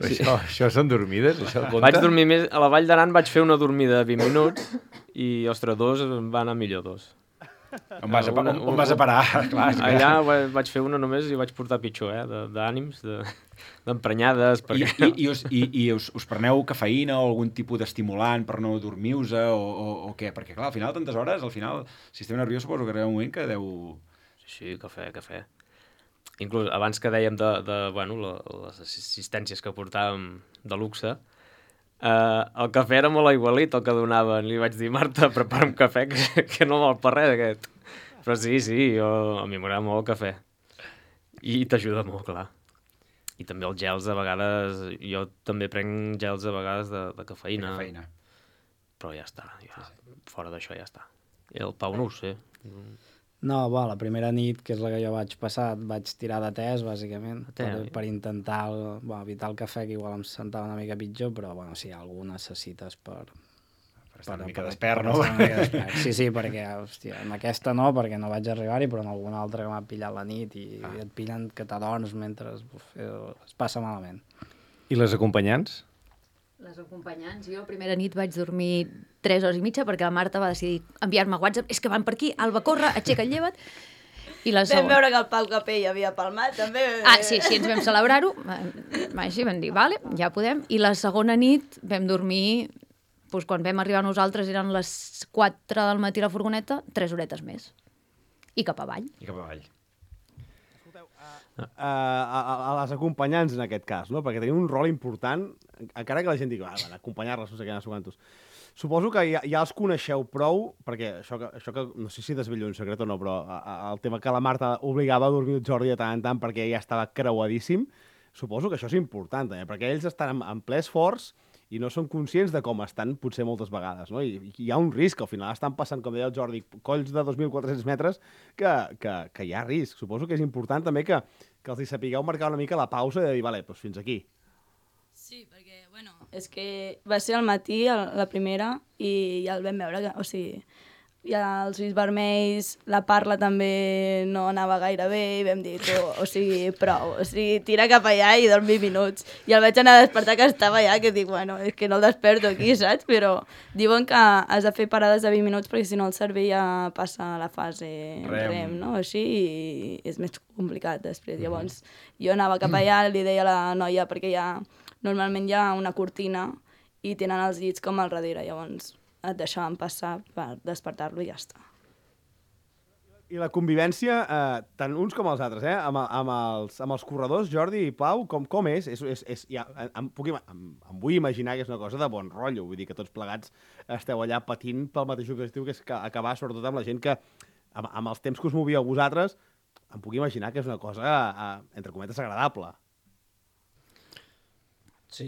Però això, això són dormides? Això compta? Vaig dormir més... A la Vall d'Aran vaig fer una dormida de vint minuts i, ostres, dos em va anar millor dos. On vas a, pa- Una- on, on vas a parar? Clar, és que- Allà va- vaig fer una només i vaig portar pitjor, eh? de- D'ànims, de- d'emprenyades... I, Perquè... i, i, us, i, i us, us preneu cafeïna o algun tipus d'estimulant per no dormir-vos o, o, o què? Perquè, clar, al final, tantes hores, al final, el sistema nerviós suposo que arriba un moment que deu... Sí, sí, cafè, cafè. Inclús abans que dèiem de, de bueno, la, les assistències que portàvem de luxe, eh, el cafè era molt aigualit el que donaven. Li vaig dir, Marta, prepara'm cafè, que, que no val per res aquest. Però sí, sí, jo, a mi m'agrada molt el cafè. I t'ajuda molt, clar. I també els gels, a vegades... Jo també prenc gels, a vegades, de, de cafeïna. Cafeïna. Però ja està, ja, fora d'això ja està. I el Pau no ho sé. No, bo, la primera nit, que és la que jo vaig passar, vaig tirar de tés, bàsicament, te, per, eh? per intentar bo, evitar el cafè, que igual em sentava una mica pitjor, però bueno, si algú necessites per... Per estar una per- mica per- despert, per no? estar una mica despert. Sí, sí, perquè, hòstia, en aquesta no, perquè no vaig arribar-hi, però en alguna altra que m'ha pillat la nit i, ah. i et pillen que t'adorms mentre uf, eh, es passa malament. I les acompanyants? Les acompanyants, jo primera nit vaig dormir tres hores i mitja perquè la Marta va decidir enviar-me WhatsApp, és que van per aquí, Alba, corre, aixeca't, lleva't. I la Vam segona... veure que el Pau Capell havia palmat, també. Ah, sí, sí, ens vam celebrar-ho. Així vam dir, vale, ja podem. I la segona nit vam dormir, doncs quan vam arribar nosaltres eren les quatre del matí a la furgoneta, tres horetes més. I cap avall. I cap avall. Uh, a, a, a les acompanyants en aquest cas, no? Perquè tenim un rol important, encara que la gent digui, ah, van acompanyar-les, no sé què, no sé quantos. Suposo que ja, ja els coneixeu prou, perquè això que, això que no sé si desvello un secret o no, però a, a, el tema que la Marta obligava a dormir el Jordi de tant en tant perquè ja estava creuadíssim, suposo que això és important també, perquè ells estan en, en ple esforç i no són conscients de com estan potser moltes vegades, no? I, i hi ha un risc, al final estan passant, com deia el Jordi, colls de dos mil quatre-cents metres que, que, que hi ha risc. Suposo que és important també que, que els hi sapigueu marcar una mica la pausa i de dir, vale, doncs fins aquí. Sí, perquè, bueno, és que va ser al matí el, la primera i ja el vam veure, que, o sigui, i els ulls vermells, la parla també no anava gaire bé i vam dir, tu, o sigui, prou, o sigui, tira cap allà i dorm vint minuts. I el vaig anar a despertar que estava allà, que dic, bueno, és que no el desperto aquí, saps? Però diuen que has de fer parades de vint minuts perquè si no el cervell ja passa a la fase rem, rem no? Així, i és més complicat després. Mm-hmm. Llavors, jo anava cap allà, li deia a la noia, perquè ja, normalment hi ha una cortina i tenen els llits com al darrere, llavors et deixaven passar per despertar-lo i ja està. I la convivència, eh, tant uns com els altres, eh? amb, amb, els, amb els corredors, Jordi i Pau, com, com és? és, és, és ja, em, puc, em, em vull imaginar que és una cosa de bon rotllo, vull dir que tots plegats esteu allà patint pel mateix objectiu, que és que acabar sobretot amb la gent que, amb, amb els temps que us movíeu vosaltres, em puc imaginar que és una cosa, eh, entre cometes, agradable. Sí,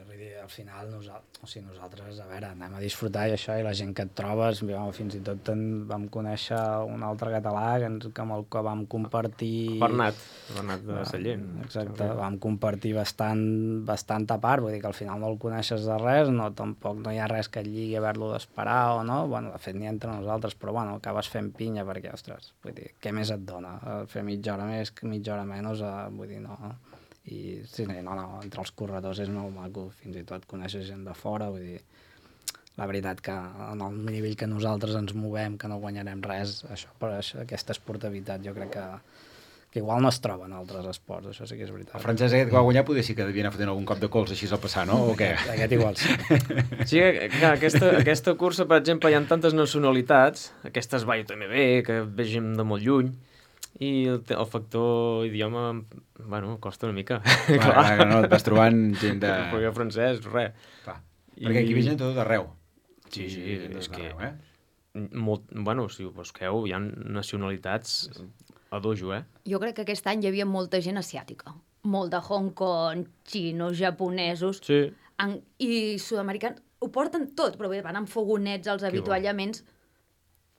vull dir, al final nosaltres, o sigui, nosaltres, a veure, anem a disfrutar i això, i la gent que et trobes, fins i tot en vam conèixer un altre català que, ens, que amb el que vam compartir... Bernat, Bernat de Sallent. Exacte, vam compartir bastant, bastant a part, vull dir que al final no el coneixes de res, no, tampoc no hi ha res que et lligui haver-lo d'esperar o no, bueno, de fet ni entre nosaltres, però bueno, acabes fent pinya perquè, ostres, vull dir, què més et dona? Fer mitja hora més, mitja hora menys, eh, vull dir, no... I sí, no, no, entre els corredors és molt maco, fins i tot coneixes gent de fora, vull dir, la veritat que en el nivell que nosaltres ens movem, que no guanyarem res, això, per això, aquesta esportivitat jo crec que, que igual no es troba en altres esports, això sí que és veritat. El francès aquest que va guanyar poder sí que devia anar fotent algun cop de cols així al passar, no? O què? Aquest, aquest igual sí. Sí, que aquesta, aquesta cursa, per exemple, hi ha tantes nacionalitats, aquestes va també bé, que vegem de molt lluny, i el, el factor idioma, bueno, costa una mica. Clar, clar, no, et vas trobant gent de... Perquè francès, res. Clar. I... Perquè aquí ve gent tot d'arreu. Sí, sí, I és que... Eh? Molt, bueno, si ho busqueu, hi ha nacionalitats a dojo, eh? Jo crec que aquest any hi havia molta gent asiàtica. Molt de Hong Kong, xinos, japonesos... Sí. En, I sud-americans. Ho porten tot, però bé, van amb fogonets als avituallaments...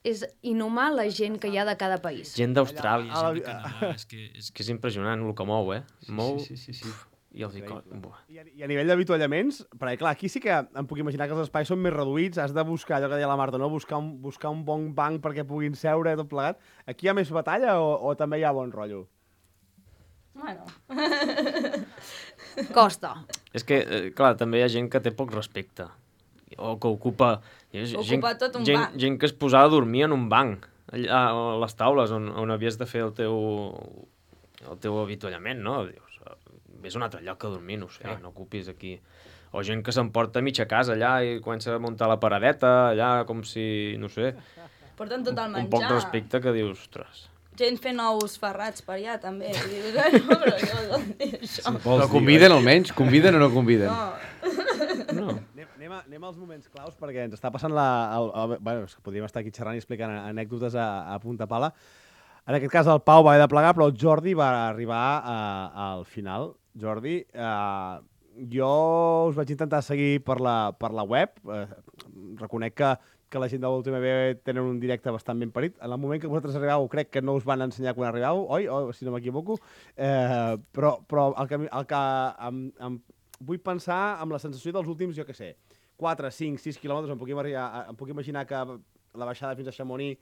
És inhumà la gent que hi ha de cada país. Gent d'Austràlia, gent de Canadà, és que, és que és impressionant el que mou, eh? Mou... Sí, sí, sí. sí. I, els I, I, a, I a nivell d'avituallaments, perquè clar, aquí sí que em puc imaginar que els espais són més reduïts, has de buscar, allò que deia la Marta, no? buscar, un, buscar un bon banc perquè puguin seure, tot plegat. Aquí hi ha més batalla o, o també hi ha bon rotllo? Bueno... Costa. És que, eh, clar, també hi ha gent que té poc respecte. O que ocupa... Ocupa gent, tot un gent, banc. Gent que es posava a dormir en un banc, allà a les taules on, on havies de fer el teu, el teu avituallament, no? Dius, vés a un altre lloc a dormir, no sé, no ocupis aquí. O gent que s'emporta a mitja casa allà i comença a muntar la paradeta, allà com si, no sé... Porten tot el menjar. Un poc de respecte que dius, ostres... Gent fent ous ferrats per allà, també. Dius, no, però jo no dic això. Sí, però conviden almenys? Conviden o no conviden? No. No. Anem, anem, a, anem als moments claus, perquè ens està passant la... El, el, bueno, podríem estar aquí xerrant i explicant anècdotes a, a punta pala. En aquest cas el Pau va haver de plegar, però el Jordi va arribar a, al final. Jordi, eh, jo us vaig intentar seguir per la, per la web. Eh, reconec que que la gent de l'última B tenen un directe bastant ben parit. En el moment que vosaltres arribeu, crec que no us van ensenyar quan arribeu, oi? O, si no m'equivoco. Eh, però però el que, el que em, em vull pensar amb la sensació dels últims, jo què sé, quatre, cinc, sis quilòmetres, em puc, arribar, em puc imaginar que la baixada fins a Chamonix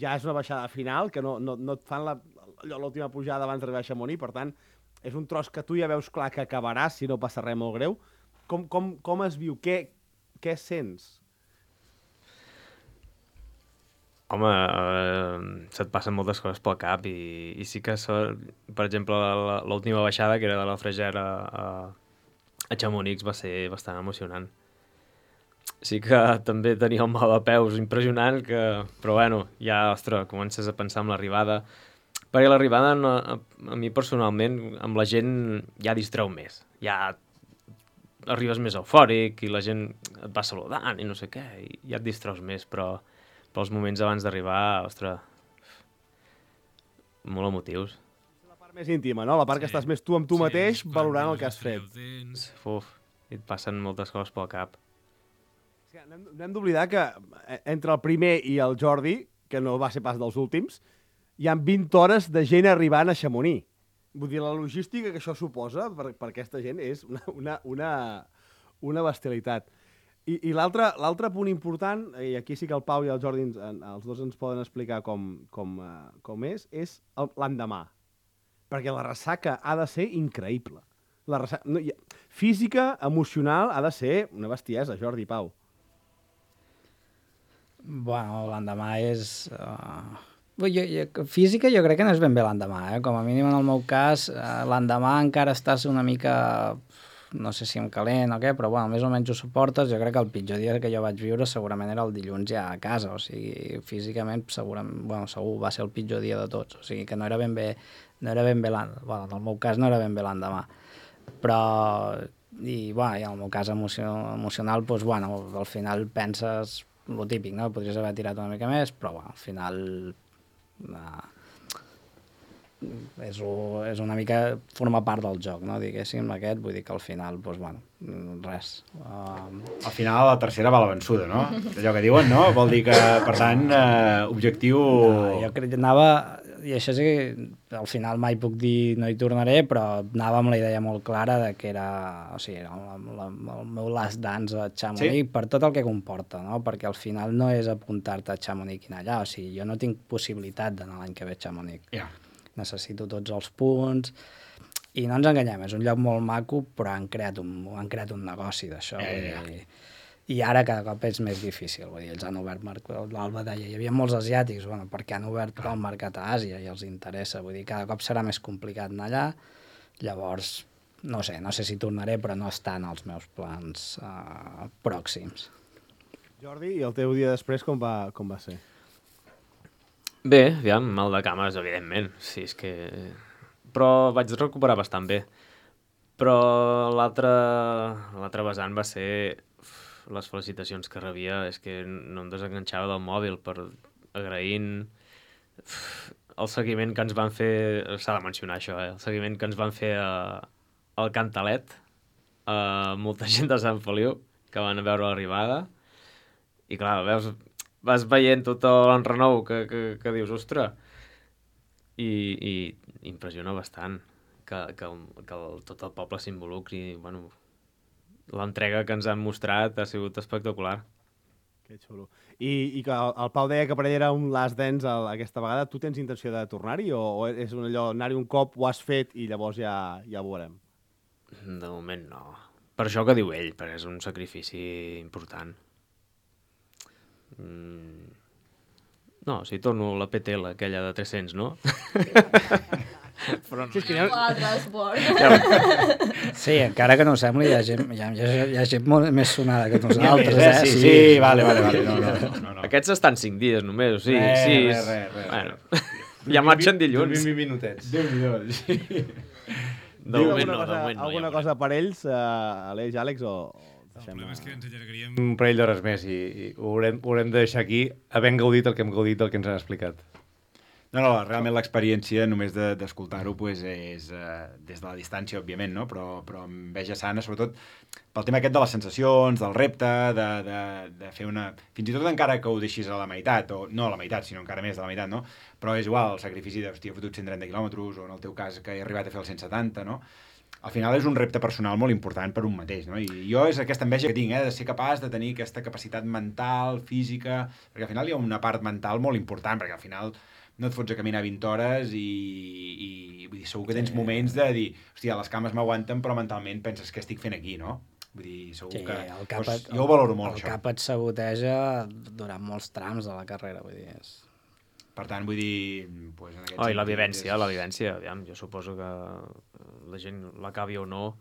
ja és una baixada final, que no, no, no et fan l'última pujada abans d'arribar a Chamonix, per tant, és un tros que tu ja veus clar que acabaràs si no passa res molt greu. Com, com, com es viu? Què, què sents? Home, eh, se't passen moltes coses pel cap i, i sí que, so, per exemple, l'última baixada, que era de la Fregera a, a Chamonix, va ser bastant emocionant. Sí que també tenia un mal de peus impressionant, que, però bueno, ja, ostres, comences a pensar en l'arribada. Perquè l'arribada, a, a mi personalment, amb la gent ja distreu més. Ja arribes més eufòric i la gent et va saludant i no sé què, i ja et distreus més, però... però els moments abans d'arribar, ostres, molt emotius. La part més íntima, no? La part sí. que estàs més tu amb tu sí, mateix valorant el que has fet. Uf, i et passen moltes coses pel cap. Sí, no hem, no hem d'oblidar que entre el primer i el Jordi, que no va ser pas dels últims, hi ha vint hores de gent arribant a Chamonix. Vull dir, la logística que això suposa per, per aquesta gent és una, una, una, una bestialitat. I, i l'altre l'altre punt important, i aquí sí que el Pau i el Jordi, ens, els dos ens poden explicar com, com, uh, com és, és l'endemà. Perquè la ressaca ha de ser increïble. La ressaca, no, física, emocional, ha de ser una bestiesa, Jordi, Pau. Bueno, l'endemà és... Uh... Jo, jo, física jo crec que no és ben bé l'endemà, eh? Com a mínim en el meu cas, uh, l'endemà encara estàs una mica... no sé si em calent o què, però bueno, més o menys ho suportes. Jo crec que el pitjor dia que jo vaig viure segurament era el dilluns ja a casa, o sigui, físicament segurament, bueno, segur va ser el pitjor dia de tots, o sigui que no era ben bé, no era ben bé l'endemà, bueno, en el meu cas no era ben bé l'endemà, però, i, bueno, i en el meu cas emocio, emocional, doncs, bueno, al final penses lo típic, no? Podries haver tirat una mica més, però, bueno, al final... Uh, és, és una mica forma part del joc, no? Diguéssim, aquest, vull dir que al final, doncs, bueno, res. Uh... Al final la tercera va la vençuda, no? Allò que diuen, no? Vol dir que, per tant, eh, objectiu... No, jo crec que anava, i això sí que al final mai puc dir no hi tornaré, però anava amb la idea molt clara de que era, o sigui, el, el, el meu last dance a Chamonix, sí? Per tot el que comporta, no? Perquè al final no és apuntar-te a Chamonix i anar allà, o sigui, jo no tinc possibilitat d'anar l'any que ve a Chamonix. Ja. Yeah. Necessito tots els punts, i no ens enganyem, és un lloc molt maco, però han creat un, han creat un negoci d'això, eh, i, i ara cada cop és més difícil, vull dir, ells han obert, l'Alba deia, hi havia molts asiàtics, bueno, perquè han obert el mercat a Àsia i els interessa, vull dir, cada cop serà més complicat anar allà, llavors, no sé, no sé si tornaré, però no està en els meus plans uh, pròxims. Jordi, i el teu dia després com va, com va ser? Bé, aviam, mal de cames, evidentment. Sí, és que... Però vaig recuperar bastant bé. Però l'altre l'altre vessant va ser uf, les felicitacions que rebia, és que no em desenganxava del mòbil per agraint uf, el seguiment que ens van fer, s'ha de mencionar això, eh? El seguiment que ens van fer a, al Cantalet, a molta gent de Sant Feliu que van a veure l'arribada, i clar, veus... vas veient tot l'enrenou que, que, que dius, ostres, i, i impressiona bastant que, que, que el, tot el poble s'involucri. Bueno, l'entrega que ens han mostrat ha sigut espectacular. Que xulo. I, i que el, el Pau deia que per ell era un last dance el, aquesta vegada. Tu tens intenció de tornar-hi o, o és un allò, anar-hi un cop, ho has fet i llavors ja, ja ho veurem? De moment no. Per això que diu ell, perquè és un sacrifici important. Mm. No, si torno la P T L, aquella de tres-cents, no? Però no. Sí, és que hi ha... Sí, encara que no ho sembli, hi ha gent, hi ha, hi ha gent molt més sonada que nosaltres, eh? Sí, sí, sí, vale, vale, vale. No, no, no, no. Aquests estan cinc dies només, o sigui, res, sis... Res, res, res. Bueno, ja marxen dilluns. vint minutets. Déu-n'hi-do, sí. De moment no, de moment no. Alguna cosa per ells, uh, Aleix, Àlex, o... El problema és que ens allargaríem un parell d'hores més i, i ho, haurem, ho haurem de deixar aquí havent gaudit el que hem gaudit del que ens han explicat. No, no, realment l'experiència només d'escoltar-ho pues, és eh, des de la distància, òbviament, no? però, però amb enveja sana, sobretot pel tema aquest de les sensacions, del repte, de, de, de fer una... Fins i tot encara que ho deixis a la meitat, o no a la meitat, sinó encara més de la meitat, no? Però és igual, el sacrifici de, hòstia, he fotut cent trenta quilòmetres, o en el teu cas que he arribat a fer els cent setanta, no? Al final és un repte personal molt important per un mateix, no? I jo és aquesta enveja que tinc, eh? De ser capaç de tenir aquesta capacitat mental, física, perquè al final hi ha una part mental molt important, perquè al final no et fots a caminar vint hores i, i vull dir, segur que tens moments de dir, hòstia, les cames m'aguanten, però mentalment penses que estic fent aquí, no? Vull dir, segur sí, que... El cap doncs, et, jo ho valoro molt, el això. El cap et saboteja durant molts trams de la carrera, vull dir, és... Per tant, vull dir... Pues, en oh, i la vivència, és... la vivència, aviam, jo suposo que la gent l'acabi o no,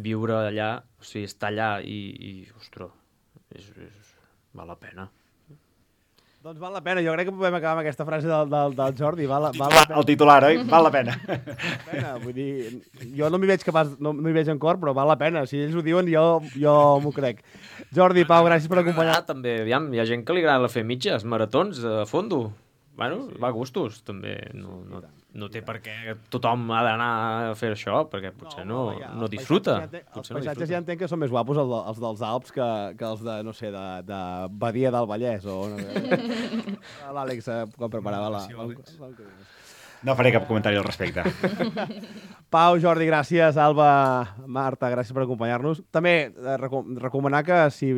viure allà, o sigui, estar allà i, i ostres, és, és, val la pena. Doncs val la pena, jo crec que podem acabar amb aquesta frase del, del, del Jordi, val, el, titular, val la pena. El titular, oi? Val la pena. Val la pena, vull dir, jo no m'hi veig capaç, no m'hi veig en cor, però val la pena, si ells ho diuen jo, jo m'ho crec. Jordi, Pau, gràcies per acompanyar. Ah, també, aviam, hi ha gent que li agrada fer mitges, maratons, a fondo. Bueno, sí. Va a gustos, també. No, no, no té per què tothom ha d'anar a fer això, perquè potser no, no, ja, no disfruta. Ja entenc, els paisatges no ja entenc que són més guapos els, els dels Alps que, que els de, no sé, de, de Badia del Vallès, o... No, L'Àlex, eh, quan preparava la... No faré cap comentari al respecte. Pau, Jordi, gràcies. Alba, Marta, gràcies per acompanyar-nos. També eh, reco recomanar que si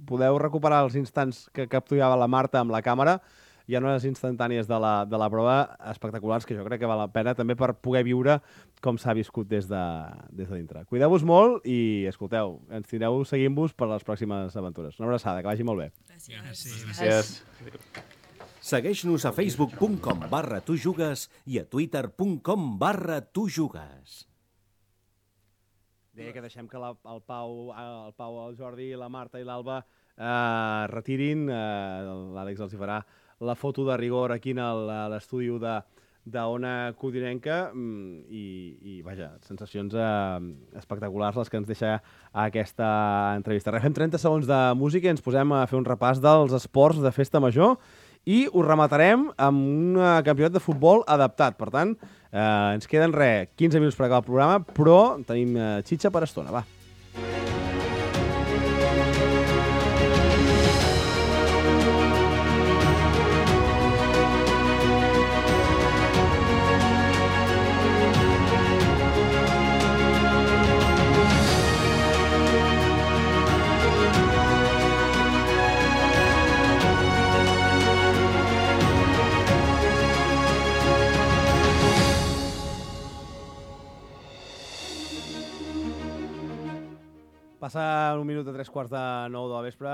podeu recuperar els instants que capturava la Marta amb la càmera, hi ha unes instantànies de la, de la prova espectaculars que jo crec que val la pena també per poder viure com s'ha viscut des de, des de dintre. Cuideu-vos molt i, escolteu, ens tindreu seguint-vos per les pròximes aventures. Una abraçada, que vagi molt bé. Gràcies. Gràcies. Segueix-nos a facebook punt com barra tu jugues i a twitter punt com barra tu jugues. Deia que deixem que la, el, Pau, el Pau, el Jordi, la Marta i l'Alba eh, retirin. Eh, L'Àlex els hi farà la foto de rigor aquí a l'estudi de d'Ona Codinenca i, i, vaja, sensacions eh, espectaculars les que ens deixa aquesta entrevista. Refem trenta segons de música i ens posem a fer un repàs dels esports de festa major i ho rematarem amb un campionat de futbol adaptat. Per tant, eh, ens queden res, quinze minuts per acabar el programa, però tenim eh, xitxa per estona, va. Passa un minut de tres quarts de nou de la vespre,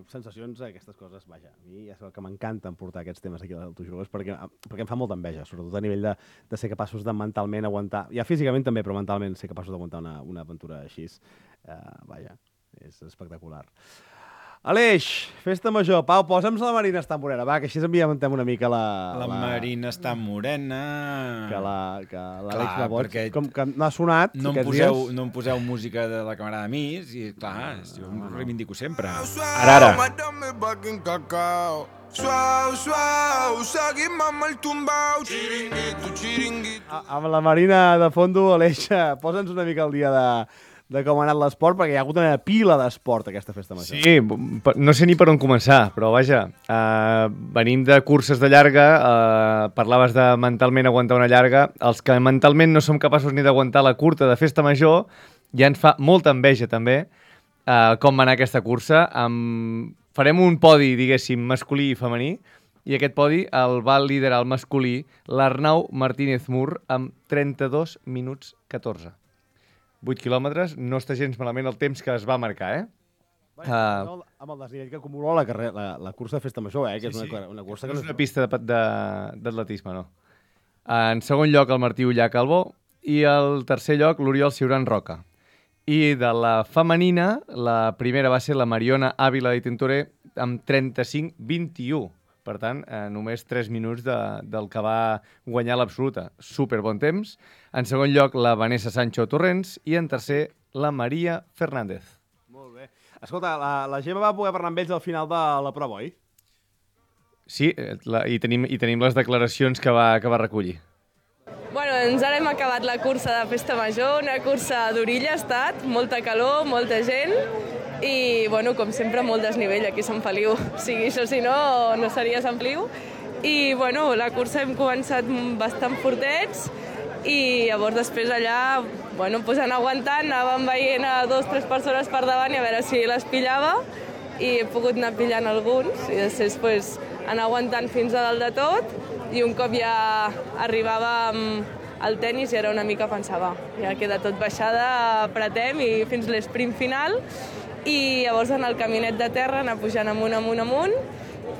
sensacions, aquestes coses, vaja, a mi és el que m'encanta portar aquests temes aquí al Tu Jugues, perquè, perquè em fa molta enveja, sobretot a nivell de, de ser capaços de mentalment aguantar, ja físicament també, però mentalment ser capaços d'aguantar una, una aventura així, uh, vaja, és espectacular. Aleix, festa major. Pau, posa'm la Marina està morena, va, que així enviamentem una mica la... La, la... Marina està morena... Que la, que l'Àlex clar, la boig, perquè com que no ha sonat no em aquests poseu, dies. No em poseu música de la camarada Mis i, clar, jo em reivindico sempre. Ara, ara. Suau, suau, seguim amb el tumbau, xiringuito, xiringuito. Amb la Marina de fondo, Aleix, posa'ns una mica al dia de... de com ha anat l'esport, perquè hi ha hagut una pila d'esport aquesta festa major. Sí, no sé ni per on començar, però vaja, eh, venim de curses de llarga, eh, parlaves de mentalment aguantar una llarga, els que mentalment no som capaços ni d'aguantar la curta de festa major, ja ens fa molta enveja també eh, com va anar aquesta cursa. Amb... Farem un podi, diguéssim, masculí i femení, i aquest podi el va liderar el masculí l'Arnau Martínez Mur amb trenta-dos minuts catorze. vuit quilòmetres, no està gens malament el temps que es va marcar, eh? Bueno, uh, no, amb el desnivell que acumula la, carrera, la, la cursa de festa major, eh? Que sí, és una, sí. una cursa que no és una pista d'atletisme, no. En segon lloc, el Martí Ullà Calbó, i el tercer lloc, l'Oriol Ciuran Roca. I de la femenina, la primera va ser la Mariona Ávila i Tintoré amb trenta-cinc vint-i-u. Per tant, eh, només tres minuts de, del que va guanyar l'absoluta. Super bon temps. En segon lloc, la Vanessa Sancho Torrents. I en tercer, la Maria Fernández. Molt bé. Escolta, la, la Gemma va poder parlar amb ells al final de la prova, oi? Sí, la, i, tenim, i tenim les declaracions que va, que va recollir. Bueno, doncs ara hem acabat la cursa de festa major, una cursa d'orilla ha estat, molta calor, molta gent, i, bueno, com sempre, molt desnivell aquí a Sant Feliu. O sigui, això si no, no seria Sant Feliu. I, bueno, la cursa hem començat bastant fortets i llavors després allà, bueno, pues anar aguantant, anàvem veient a dos o tres persones per davant i a veure si les pillava i he pogut anar pillant alguns i després pues, anar aguantant fins a dalt de tot i un cop ja arribàvem al tenis i era una mica pensava, ja queda tot baixada, apretem i fins l'esprint final. I llavors en el caminet de terra anar pujant amunt, amunt, amunt,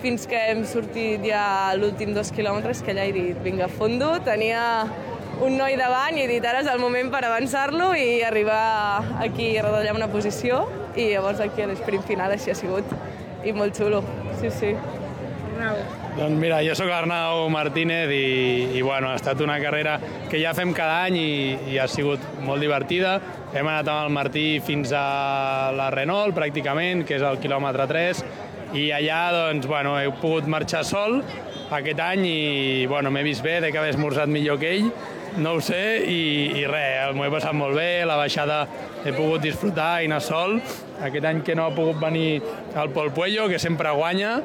fins que hem sortit ja l'últim dos quilòmetres, que allà he dit, vinga, fondo, tenia un noi davant i he dit, ara és el moment per avançar-lo i arribar aquí a retallar una posició i llavors aquí a l'esprint final així ha sigut i molt xulo, sí, sí. Doncs mira, jo sóc l'Arnau Martínez i, i bueno, ha estat una carrera que ja fem cada any i, i ha sigut molt divertida. Hem anat amb el Martí fins a la Renault, pràcticament, que és el quilòmetre tres, i allà doncs, bueno, he pogut marxar sol aquest any i bueno, m'he vist bé, de que haver esmorzat millor que ell, no ho sé, i, i res, m'ho he passat molt bé, la baixada he pogut disfrutar i anar sol. Aquest any que no ha pogut venir el Pol Puello, que sempre guanya,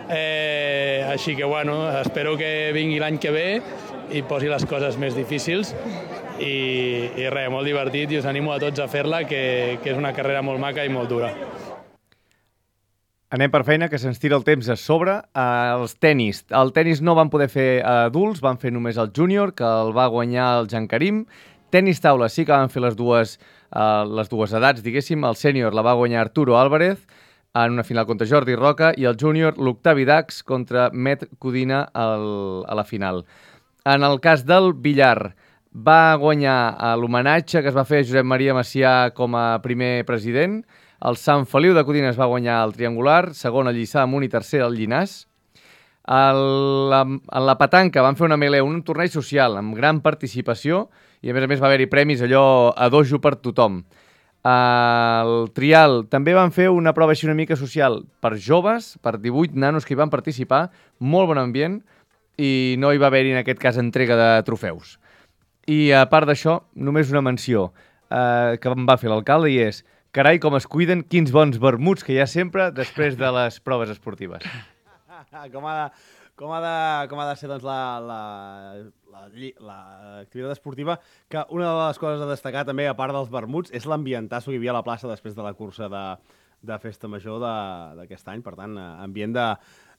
eh, així que bueno, espero que vingui l'any que ve i posi les coses més difícils. I, i res, molt divertit i us animo a tots a fer-la, que, que és una carrera molt maca i molt dura. Anem per feina, que se'ns tira el temps a sobre. Uh, els tenis. El tenis no van poder fer adults, van fer només el júnior, que el va guanyar el Jan Karim. Tenis taula sí que van fer les dues, uh, les dues edats, diguéssim. El sènior la va guanyar Arturo Álvarez en una final contra Jordi Roca i el júnior l'Octavi Dax contra Met Codina al, a la final. En el cas del billar, va guanyar l'homenatge que es va fer a Josep Maria Macià com a primer president. El Sant Feliu de Codines va guanyar el triangular, segon el Lliçà Amunt i tercer el Llinàs. El, la, en la petanca van fer una melé, un torneig social amb gran participació i a més a més va haver-hi premis allò a dojo per tothom. El trial també van fer una prova així una mica social per joves, per divuit nanos que hi van participar, molt bon ambient i no hi va haver-hi en aquest cas entrega de trofeus. I a part d'això, només una menció eh, que em va fer l'alcalde i és: carai, com es cuiden, quins bons vermuts que hi ha sempre després de les proves esportives. com, ha de, com, ha de, com ha de ser doncs, la, la, la, l'activitat esportiva, que una de les coses a destacar també, a part dels vermuts, és l'ambientasso que hi havia a la plaça després de la cursa de, de Festa Major d'aquest any, per tant, ambient de,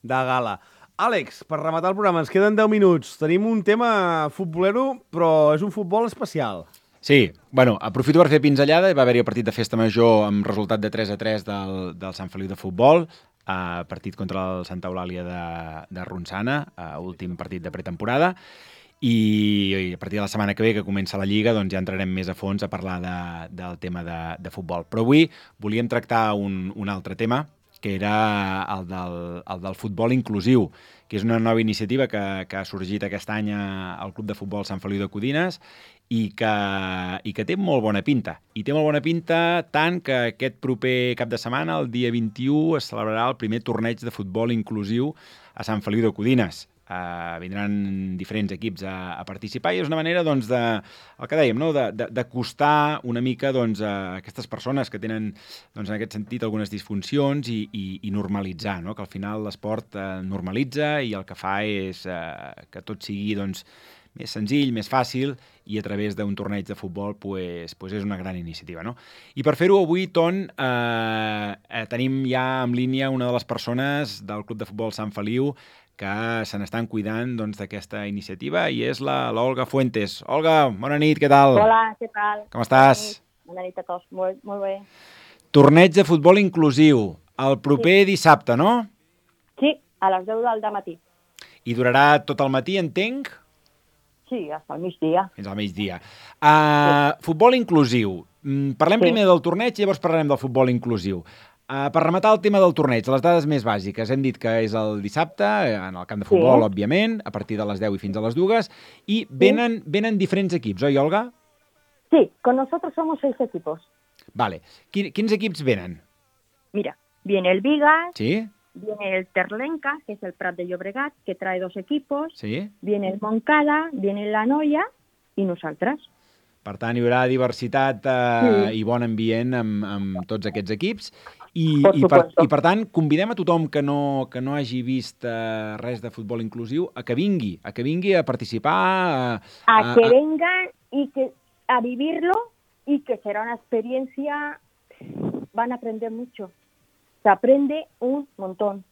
de gala. Àlex, per rematar el programa, ens queden deu minuts. Tenim un tema futbolero, però és un futbol especial. Sí, bueno, aprofito per fer pinzellada. Va haver-hi el partit de Festa Major amb resultat de tres a tres del, del Sant Feliu de futbol, eh, partit contra el Santa Eulàlia de, de Ronçana, eh, últim partit de pretemporada, i, i a partir de la setmana que ve, que comença la Lliga, doncs ja entrarem més a fons a parlar de, del tema de, de futbol. Però avui volíem tractar un, un altre tema, que era el del, el del futbol inclusiu, que és una nova iniciativa que, que ha sorgit aquest any al Club de Futbol Sant Feliu de Codines i que, i que té molt bona pinta. I té molt bona pinta tant que aquest proper cap de setmana, el dia vint-i-u, es celebrarà el primer torneig de futbol inclusiu a Sant Feliu de Codines. Uh, vindran diferents equips a, a participar i és una manera, doncs, de, el que dèiem, no? de, de, d'acostar una mica, doncs, a aquestes persones que tenen, doncs, en aquest sentit, algunes disfuncions i, i, i normalitzar, no? Que al final l'esport uh, normalitza i el que fa és uh, que tot sigui, doncs, més senzill, més fàcil, i a través d'un torneig de futbol pues, pues és una gran iniciativa, no? I per fer-ho avui, Ton, eh, eh, tenim ja en línia una de les persones del Club de Futbol Sant Feliu que se n'estan cuidant doncs, d'aquesta iniciativa, i és la l'Olga Fuentes. Olga, bona nit, què tal? Hola, què tal? Com estàs? Bona nit, bona nit a tots, molt, molt bé. Torneig de futbol inclusiu, el proper sí. dissabte, no? Sí, a les deu del matí. I durarà tot el matí, entenc? Sí, fins al migdia. Fins al migdia. Uh, sí. Futbol inclusiu. Parlem sí. primer del torneig i llavors parlarem del futbol inclusiu. Uh, per rematar el tema del torneig, les dades més bàsiques, hem dit que és el dissabte, en el camp de futbol, sí. òbviament, a partir de les deu i fins a les dues, i venen, sí. venen diferents equips, oi, Olga? Sí, con nosotros somos seis equipos. Vale. Quin, quins equips venen? Mira, viene el Vigas, sí. viene el Terlenca, que es el Prat de Llobregat, que trae dos equipos, sí. viene el Montcada, viene la Noia i nosaltres. Per tant, hi haurà diversitat eh, sí. i bon ambient amb, amb tots aquests equips. I, i, per, I, per tant, convidem a tothom que no, que no hagi vist eh, res de futbol inclusiu a que vingui, a que vingui a participar. A, a, a que a... vengan y que, a vivirlo y que será una experiencia, van a aprender mucho. Se aprende un montón.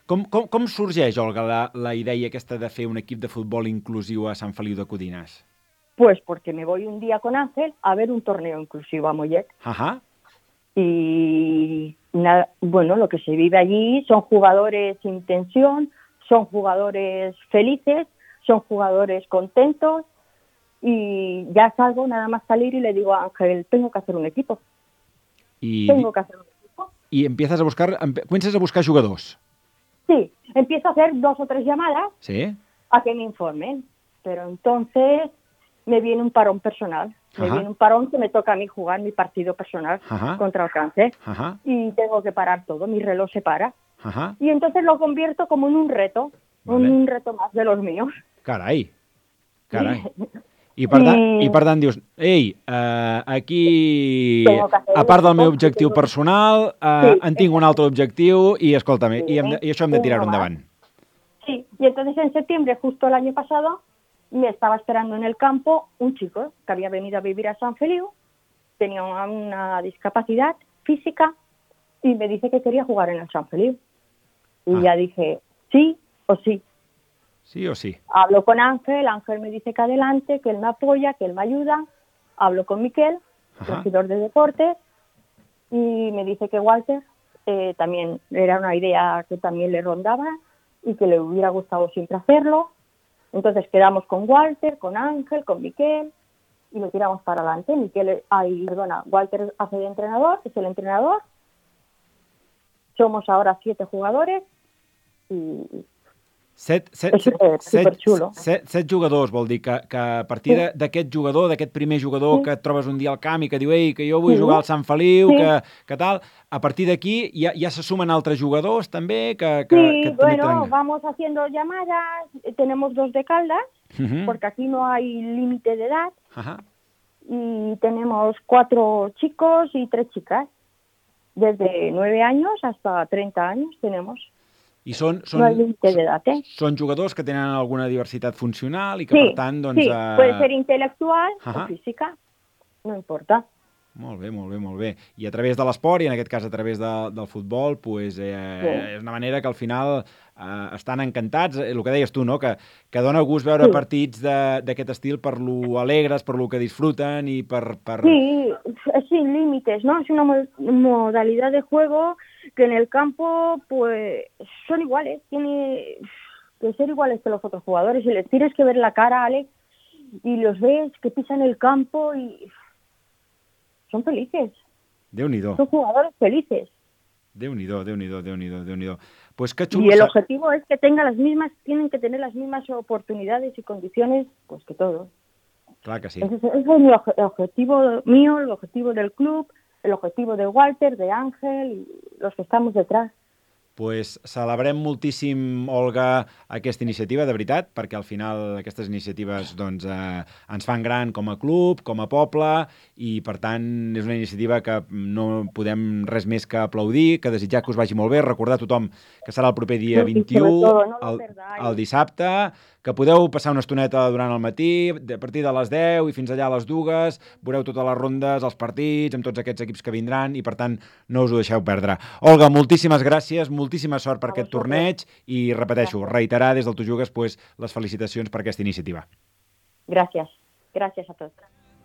Com, com, com sorgeix, Olga, la, la idea aquesta de fer un equip de futbol inclusiu a Sant Feliu de Codines? Pues porque me voy un día con Ángel a ver un torneo inclusivo a Mollet. Ajá. Y nada, bueno, lo que se vive allí son jugadores sin tensión, son jugadores felices, son jugadores contentos, y ya salgo nada más salir y le digo a Ángel, tengo que hacer un equipo. Y... Tengo que hacer un equipo. Y empiezas a buscar, comienzas a buscar jugadors. Sí, empiezo a hacer dos o tres llamadas ¿Sí? a que me informen, pero entonces me viene un parón personal. Me Ajá. viene un parón que me toca a mí jugar mi partido personal Ajá. contra el cáncer. Ajá. Y tengo que parar todo, mi reloj se para. Ajá. Y entonces lo convierto como en un reto, Vale. un reto más de los míos. Carai, Carai. I per, tant, I per tant dius, ei, uh, aquí, a part del meu objectiu personal, uh, sí, en tinc un altre objectiu i, escolta'm, sí, i, hem de, i això hem de tirar-ho endavant. Sí, y entonces en septiembre, justo el año pasado, me estaba esperando en el campo un chico que había venido a vivir a San Feliu, tenía una, una discapacidad física y me dice que quería jugar en el San Feliu. Y ah. ya dije, sí o sí. Sí o sí. Hablo con Ángel, Ángel me dice que adelante, que él me apoya, que él me ayuda. Hablo con Miquel, Ajá. regidor de deportes, y me dice que Walter eh, también era una idea que también le rondaba y que le hubiera gustado siempre hacerlo. Entonces quedamos con Walter, con Ángel, con Miquel y lo tiramos para adelante. Miquel, ay, perdona, Walter hace de entrenador, es el entrenador. Somos ahora siete jugadores y... Set, set, set, set, set, set jugadors, vol dir que, que a partir sí. d'aquest jugador, d'aquest primer jugador sí. que et trobes un dia al camp i que diu ei, que jo vull sí. jugar al Sant Feliu, sí. que, que tal, a partir d'aquí ja, ja se sumen altres jugadors també? Que, que, sí, que bueno, tenen... vamos haciendo llamadas, tenemos dos de Caldas, uh-huh. porque aquí no hay límite de edad, uh-huh. y tenemos cuatro chicos y tres chicas, desde nueve años hasta treinta años tenemos. I són, són, no hay límite de edad, ¿eh? Són jugadors que tenen alguna diversitat funcional i que, sí, per tant, doncs... Sí, eh... puede ser intelectual uh-huh. o física, no importa. Molt bé, molt bé, molt bé. I a través de l'esport, i en aquest cas a través de, del futbol, pues, eh, sí. és una manera que al final eh, estan encantats. El que deies tu, no? que, que dona gust veure sí. partits d'aquest estil per lo alegres, per lo que disfruten i per... per... Sí, sin límites, ¿no? Es una modalidad de juego que en el campo pues son iguales, tiene que ser iguales que los otros jugadores y les tienes que ver la cara, Alex, y los ves que pisan el campo y son felices. Déu-n'hi-do. Son jugadores felices. Déu-n'hi-do, Déu-n'hi-do, Déu-n'hi-do, Déu-n'hi-do. Pues qué chulo. Y el objetivo es que tenga las mismas, tienen que tener las mismas oportunidades y condiciones pues que todos. Clar que sí. Ese, ese es mi oje- objetivo mío, el objetivo del club, el objetivo de Walter, de Ángel y los que estamos detrás. Pues celebrem moltíssim, Olga, aquesta iniciativa, de veritat, perquè al final aquestes iniciatives doncs, eh, ens fan gran com a club, com a poble, i per tant és una iniciativa que no podem res més que aplaudir, que desitjar que us vagi molt bé, recordar a tothom que serà el proper dia vint-i-u, el, el dissabte, que podeu passar una estoneta durant el matí, a partir de les deu i fins allà a les dues, veureu totes les rondes, els partits, amb tots aquests equips que vindran, i per tant no us ho deixeu perdre. Olga, moltíssimes gràcies, moltíssima sort per aquest torneig i, repeteixo, reiterar des del Tu Jugues pues, les felicitacions per aquesta iniciativa. Gràcies. Gràcies a tots.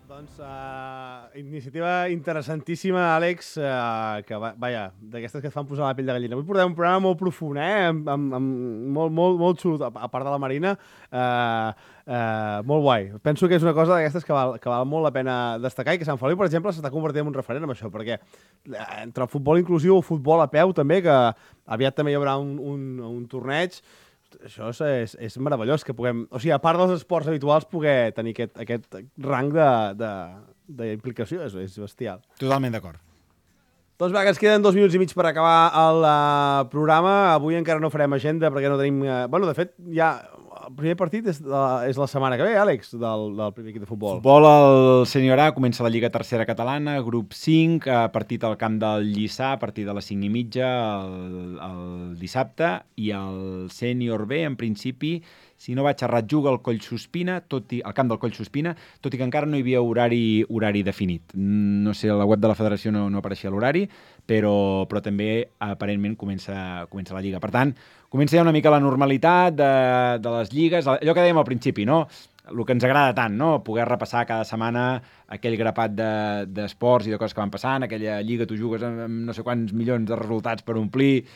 Doncs uh, iniciativa interessantíssima, Àlex, uh, que, va, vaja, d'aquestes que et fan posar la pell de gallina. Avui portem un programa molt profund, eh? Amb, amb, amb molt, molt, molt xulo, a part de la Marina, uh, uh, molt guai. Penso que és una cosa d'aquestes que val, que val molt la pena destacar i que Sant Feliu, per exemple, s'està convertint en un referent amb això, perquè entre el futbol inclusiu o el futbol a peu també, que aviat també hi haurà un, un, un torneig. Això és, és meravellós, que puguem... O sigui, a part dels esports habituals, poder tenir aquest, aquest rang d'implicació, és, és bestial. Totalment d'acord. Doncs va, que ens queden dos minuts i mig per acabar el uh, programa. Avui encara no farem agenda perquè no tenim... Uh, bueno, de fet, ja... El primer partit és la, és la setmana que ve, Àlex, del, del primer equip de futbol. Futbol al Sènior A, comença la Lliga Tercera Catalana, grup cinc, partit al camp del Lliçà, a partir de les cinc i mitja el, el dissabte, i el Sènior B, en principi, si no vaig errat, juga al Coll Sospina, tot i, al camp del Coll Sospina, tot i que encara no hi havia horari, horari definit. No sé, a la web de la federació no, no apareixia l'horari, però, però també aparentment comença, comença la Lliga. Per tant, comença ja una mica la normalitat de, de les lligues, allò que dèiem al principi, no? El que ens agrada tant, no? Poder repassar cada setmana aquell grapat d'esports de, i de coses que van passant, aquella lliga tu jugues amb, amb no sé quants milions de resultats per omplir,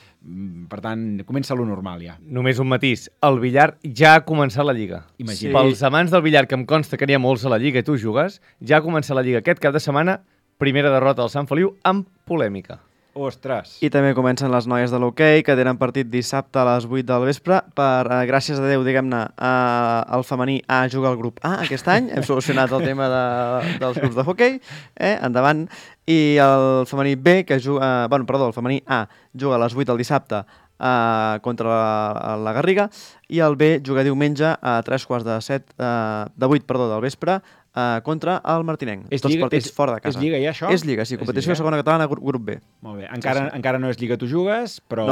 per tant, comença lo normal ja. Només un matís, el billar ja ha començat la lliga. Imagina. Sí. Pels amants del billar, que em consta que n'hi ha molts a la lliga i tu jugues, ja ha començat la lliga aquest cap de setmana, primera derrota del Sant Feliu amb polèmica. Ostres! I també comencen les noies de l'hoquei, que tenen partit dissabte a les vuit del vespre. Per, eh, gràcies a Déu, diguem-ne, eh, el femení A juga al grup A aquest any. Hem solucionat el tema de, dels grups de hoquei. Eh? Endavant. I el femení B, que juga... Eh, bueno, perdó, el femení A juga a les vuit del dissabte eh, contra la, la Garriga, i el B juga diumenge a tres quarts de set, eh, de vuit, perdó, del vespre, Uh, contra el Martinenc. És Tots lliga, partits és, fora de casa. És lliga ja, això? És lliga, sí. Competició segona catalana, grup B. Molt bé. Encara, sí, sí. encara no és lliga tu jugues, però...